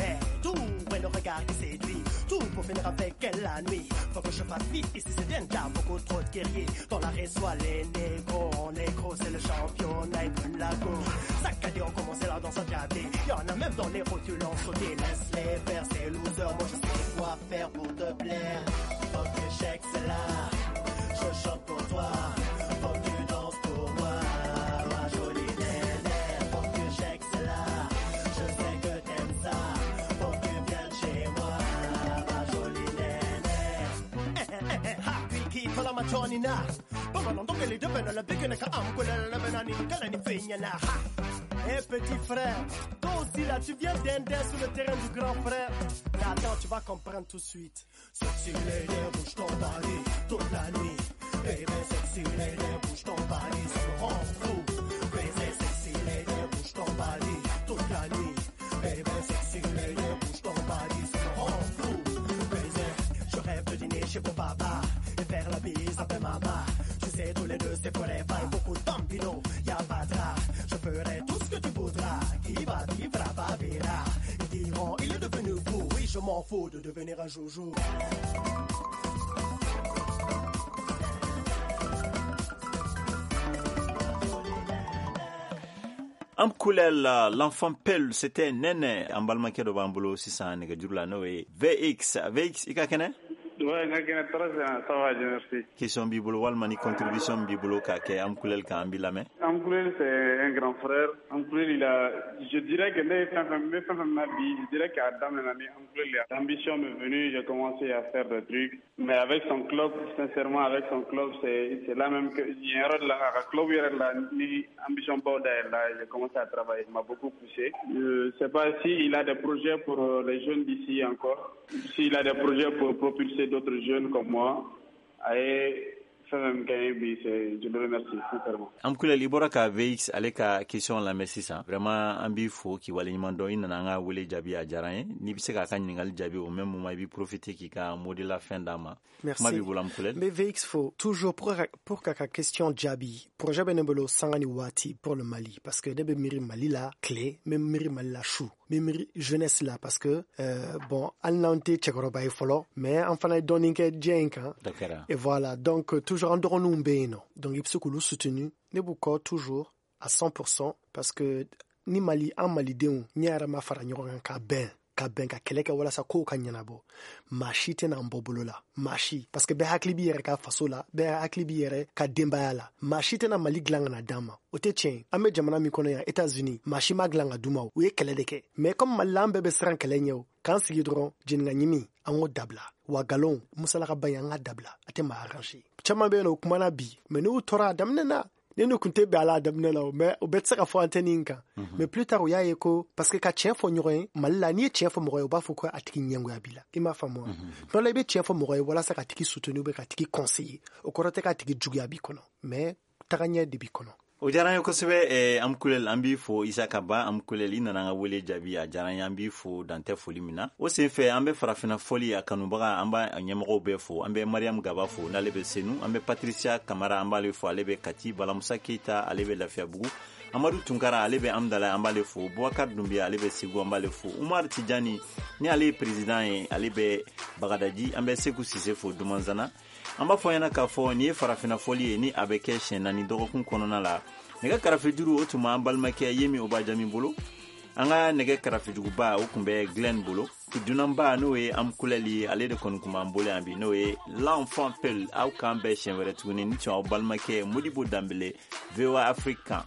d'où est le regard qui séduit, tout pour finir avec elle la nuit. Faut que je fasse vite, ici c'est Denda, beaucoup trop de guerriers. Dans la soit les négros, en négro c'est le championnat et brûle la go. Saccadé, on commence la danse à diablé. Y'en a même dans les rotules en sauté. Laisse-les faire ces losers, moi je sais quoi faire pour te plaire. Faut que tu check celle-là, je chante pour toi. Faut que tu danses pour moi, ma jolie nénère. Faut que tu check celle-là, je sais que t'aimes ça. Faut que tu viennes chez moi, ma jolie nénère. Eh eh eh ha, qui tola ma chonina. Bamanan dongeli de bena la bigena ka amkulel la bena ni kala ni finyana ha. Eh petit frère, toi aussi là tu viens d'Inde sur le terrain du grand frère. Mais attends, tu vas comprendre tout de suite. Sexy lady, bouge ton body toute la nuit. Baby, sexy lady, bouge ton body, ça me rend fou. Crazy, sexy lady, bouge ton body toute la nuit. Baby, sexy lady, bouge ton body, ça me rend fou. Crazy, je rêve de dîner chez mon papa et faire la bise après maman. Tu sais, tous les deux c'est forever. Et beaucoup de bambino, y'a pas de drap. Je ferai tout ce que tu voudras. Qui va vivre, va verra. Ils diront, il est devenu fou. Oui, je m'en fous de devenir un joujou. Amkulel, l'enfant Peul, c'était Nene. An balimakɛ dɔ b'an bolo sisan nɛgɛjuru la, n'o ye V X. V X, i ka kɛnɛ? Ouais, n ka kɛnɛ tɔɔrɔ tɛ n na, ça va, Dieu merci. Question b'i bolo walima ni contribution b'i bolo k'a kɛ Amkulel kan, an b'i lamɛn. Amkulel, c'est un grand frère. Amkulel, il a, je dirais que ne ye fɛn fɛn, n bɛ fɛn fɛn na bi, je dirais k'a daminɛ ni Amkulel ye. L'ambition m'est venue, j'ai commencé à faire des trucs. Mais avec son club, sincèrement, avec son club, c'est c'est là même que, yen yɔrɔ de la, a ka club yɛrɛ la, ni ambition baw dayɛlɛ, j'ai commencé à travailler. Il m'a beaucoup poussé. Je sais pas s'il a des projets pour les jeunes d'ici encore, s'il a des projets pour propulser d'autres jeunes comme moi. A ye fɛn fɛn kɛ n ye bi, c'est, je le remercie sincèrement. Amkulel, i bɔra ka V X ale ka question lamɛn sisan. Vraiment, an b'i fo k'i waleɲuman dɔn. I nana an ka wele jaabi, a diyara an ye. N'i bɛ se k'a ka ɲininkali jaabi, au même moment i b'i profiter k'i ka mot de la fin d'a ma. Merci. Kuma b'i bolo, Amkulel. Mais V X fo toujours pour pour k'a ka question jaabi. Projet bɛ ne bolo sanga ni waati pour le Mali, parce que ne bɛ miiri Mali la tile, n bɛ miiri Mali la su, n bɛ miiri jeunesse la, parce que euh, bon, hali n'an tɛ cɛkɔrɔba ye fɔlɔ, mais an fana ye dɔɔnin kɛ diɲɛ in kan. Dɔ kɛra. Et voilà, donc euh, toujours an dɔgɔninw bɛ yen nɔ, donc i bɛ se k'olu soutenir. Ne b'u kɔ toujours à cent pour cent, parce que ni Mali, an malidenw ɲɛ yɛrɛ ma fara ɲɔgɔn kan ka bɛn ka bɛn ka kɛlɛ kɛ walasa kow ka ɲɛnabɔ, maa si tɛna an bɔ bolo la, maa si, parce que bɛɛ hakili b'i yɛrɛ ka faso la, bɛɛ hakili b'i yɛrɛ ka denbaya la. Maa si tɛna Mali dilan ka na d'an ma, o tɛ tiɲɛ ye. An bɛ jamana min kɔnɔ yan, États-Unis, maa si ma dilan ka d'u ma, o u ye kɛlɛ de kɛ. Mais comme Mali la, an bɛɛ bɛ siran kɛlɛ ɲɛ, o k'an sigi dɔrɔn jeninka ɲimi, an k'o dabila wa. Galon musalaka ba in, an k'a dabila, a tɛ maa arranger. Caman bɛ yen nɔ, o kumana bi, mais n'u tora a daminɛ na, ne n'u kun tɛ bɛn a la a daminɛ la o, mais o bɛɛ tɛ se ka fɔ antenne in kan. Mais plus tard u y'a ye ko parce que ka tiɲɛ fɔ ɲɔgɔn ye Mali la, n'i ye tiɲɛ fɔ mɔgɔ ye, u b'a fɔ ko a tigi ɲɛngoya b'i la. I m'a faamu wa? Tuma dɔ la, i bɛ tiɲɛ fɔ mɔgɔ ye walasa ka tigi soutenir ou bien ka tigi conseiller, o kɔrɔ tɛ k'a tigi juguya b'i kɔnɔ, mais tagaɲɛ de b'i kɔnɔ. O diyara an ye kosɛbɛ. eh, Amkulel, an b'i fo. Isaka Ba Amkulel, i nana an ka wele jaabi, a diyara an ye, an b'i fo dantɛ foli min na. O sen fɛ, an bɛ farafinna fɔli a kanubaga, an b'a ɲɛmɔgɔw bɛɛ fo. An bɛ Mariam Gaba fo, n'ale bɛ Senu. An bɛ Patricia Kamara, an b'ale fo, ale bɛ Kati. Balamusa Keita, ale bɛ Lafiyabugu. Amadu Tunkara, ale bɛ Amdala, an b'ale fo. Bubakar Dunbiya, ale bɛ Segu, an b'ale fo. Umar Tijani, ni ale ye président ye, ale bɛ Bagadaji. An bɛ Seku Sise fo Dumanzana. An b'a fɔ ɲɛna k'a fɔ nin ye farafinna fɔli ye, ni a bɛ kɛ siɲɛ naani dɔgɔkun kɔnɔna la. Nɛgɛ karafejuru, o tun b'an balimakɛ Yemi Obajami bolo. An ka nɛgɛ karafijuguba, o tun bɛ Glenn bolo. Dunanba, n'o ye Amkulɛli ye, ale de kɔni kun b'an bolo yan bi, n'o ye l'enfant peul. Aw k'an bɛn siɲɛ wɛrɛ tuguni ni tun aw balimakɛ Modibo Danbele, V O A Afrique kan.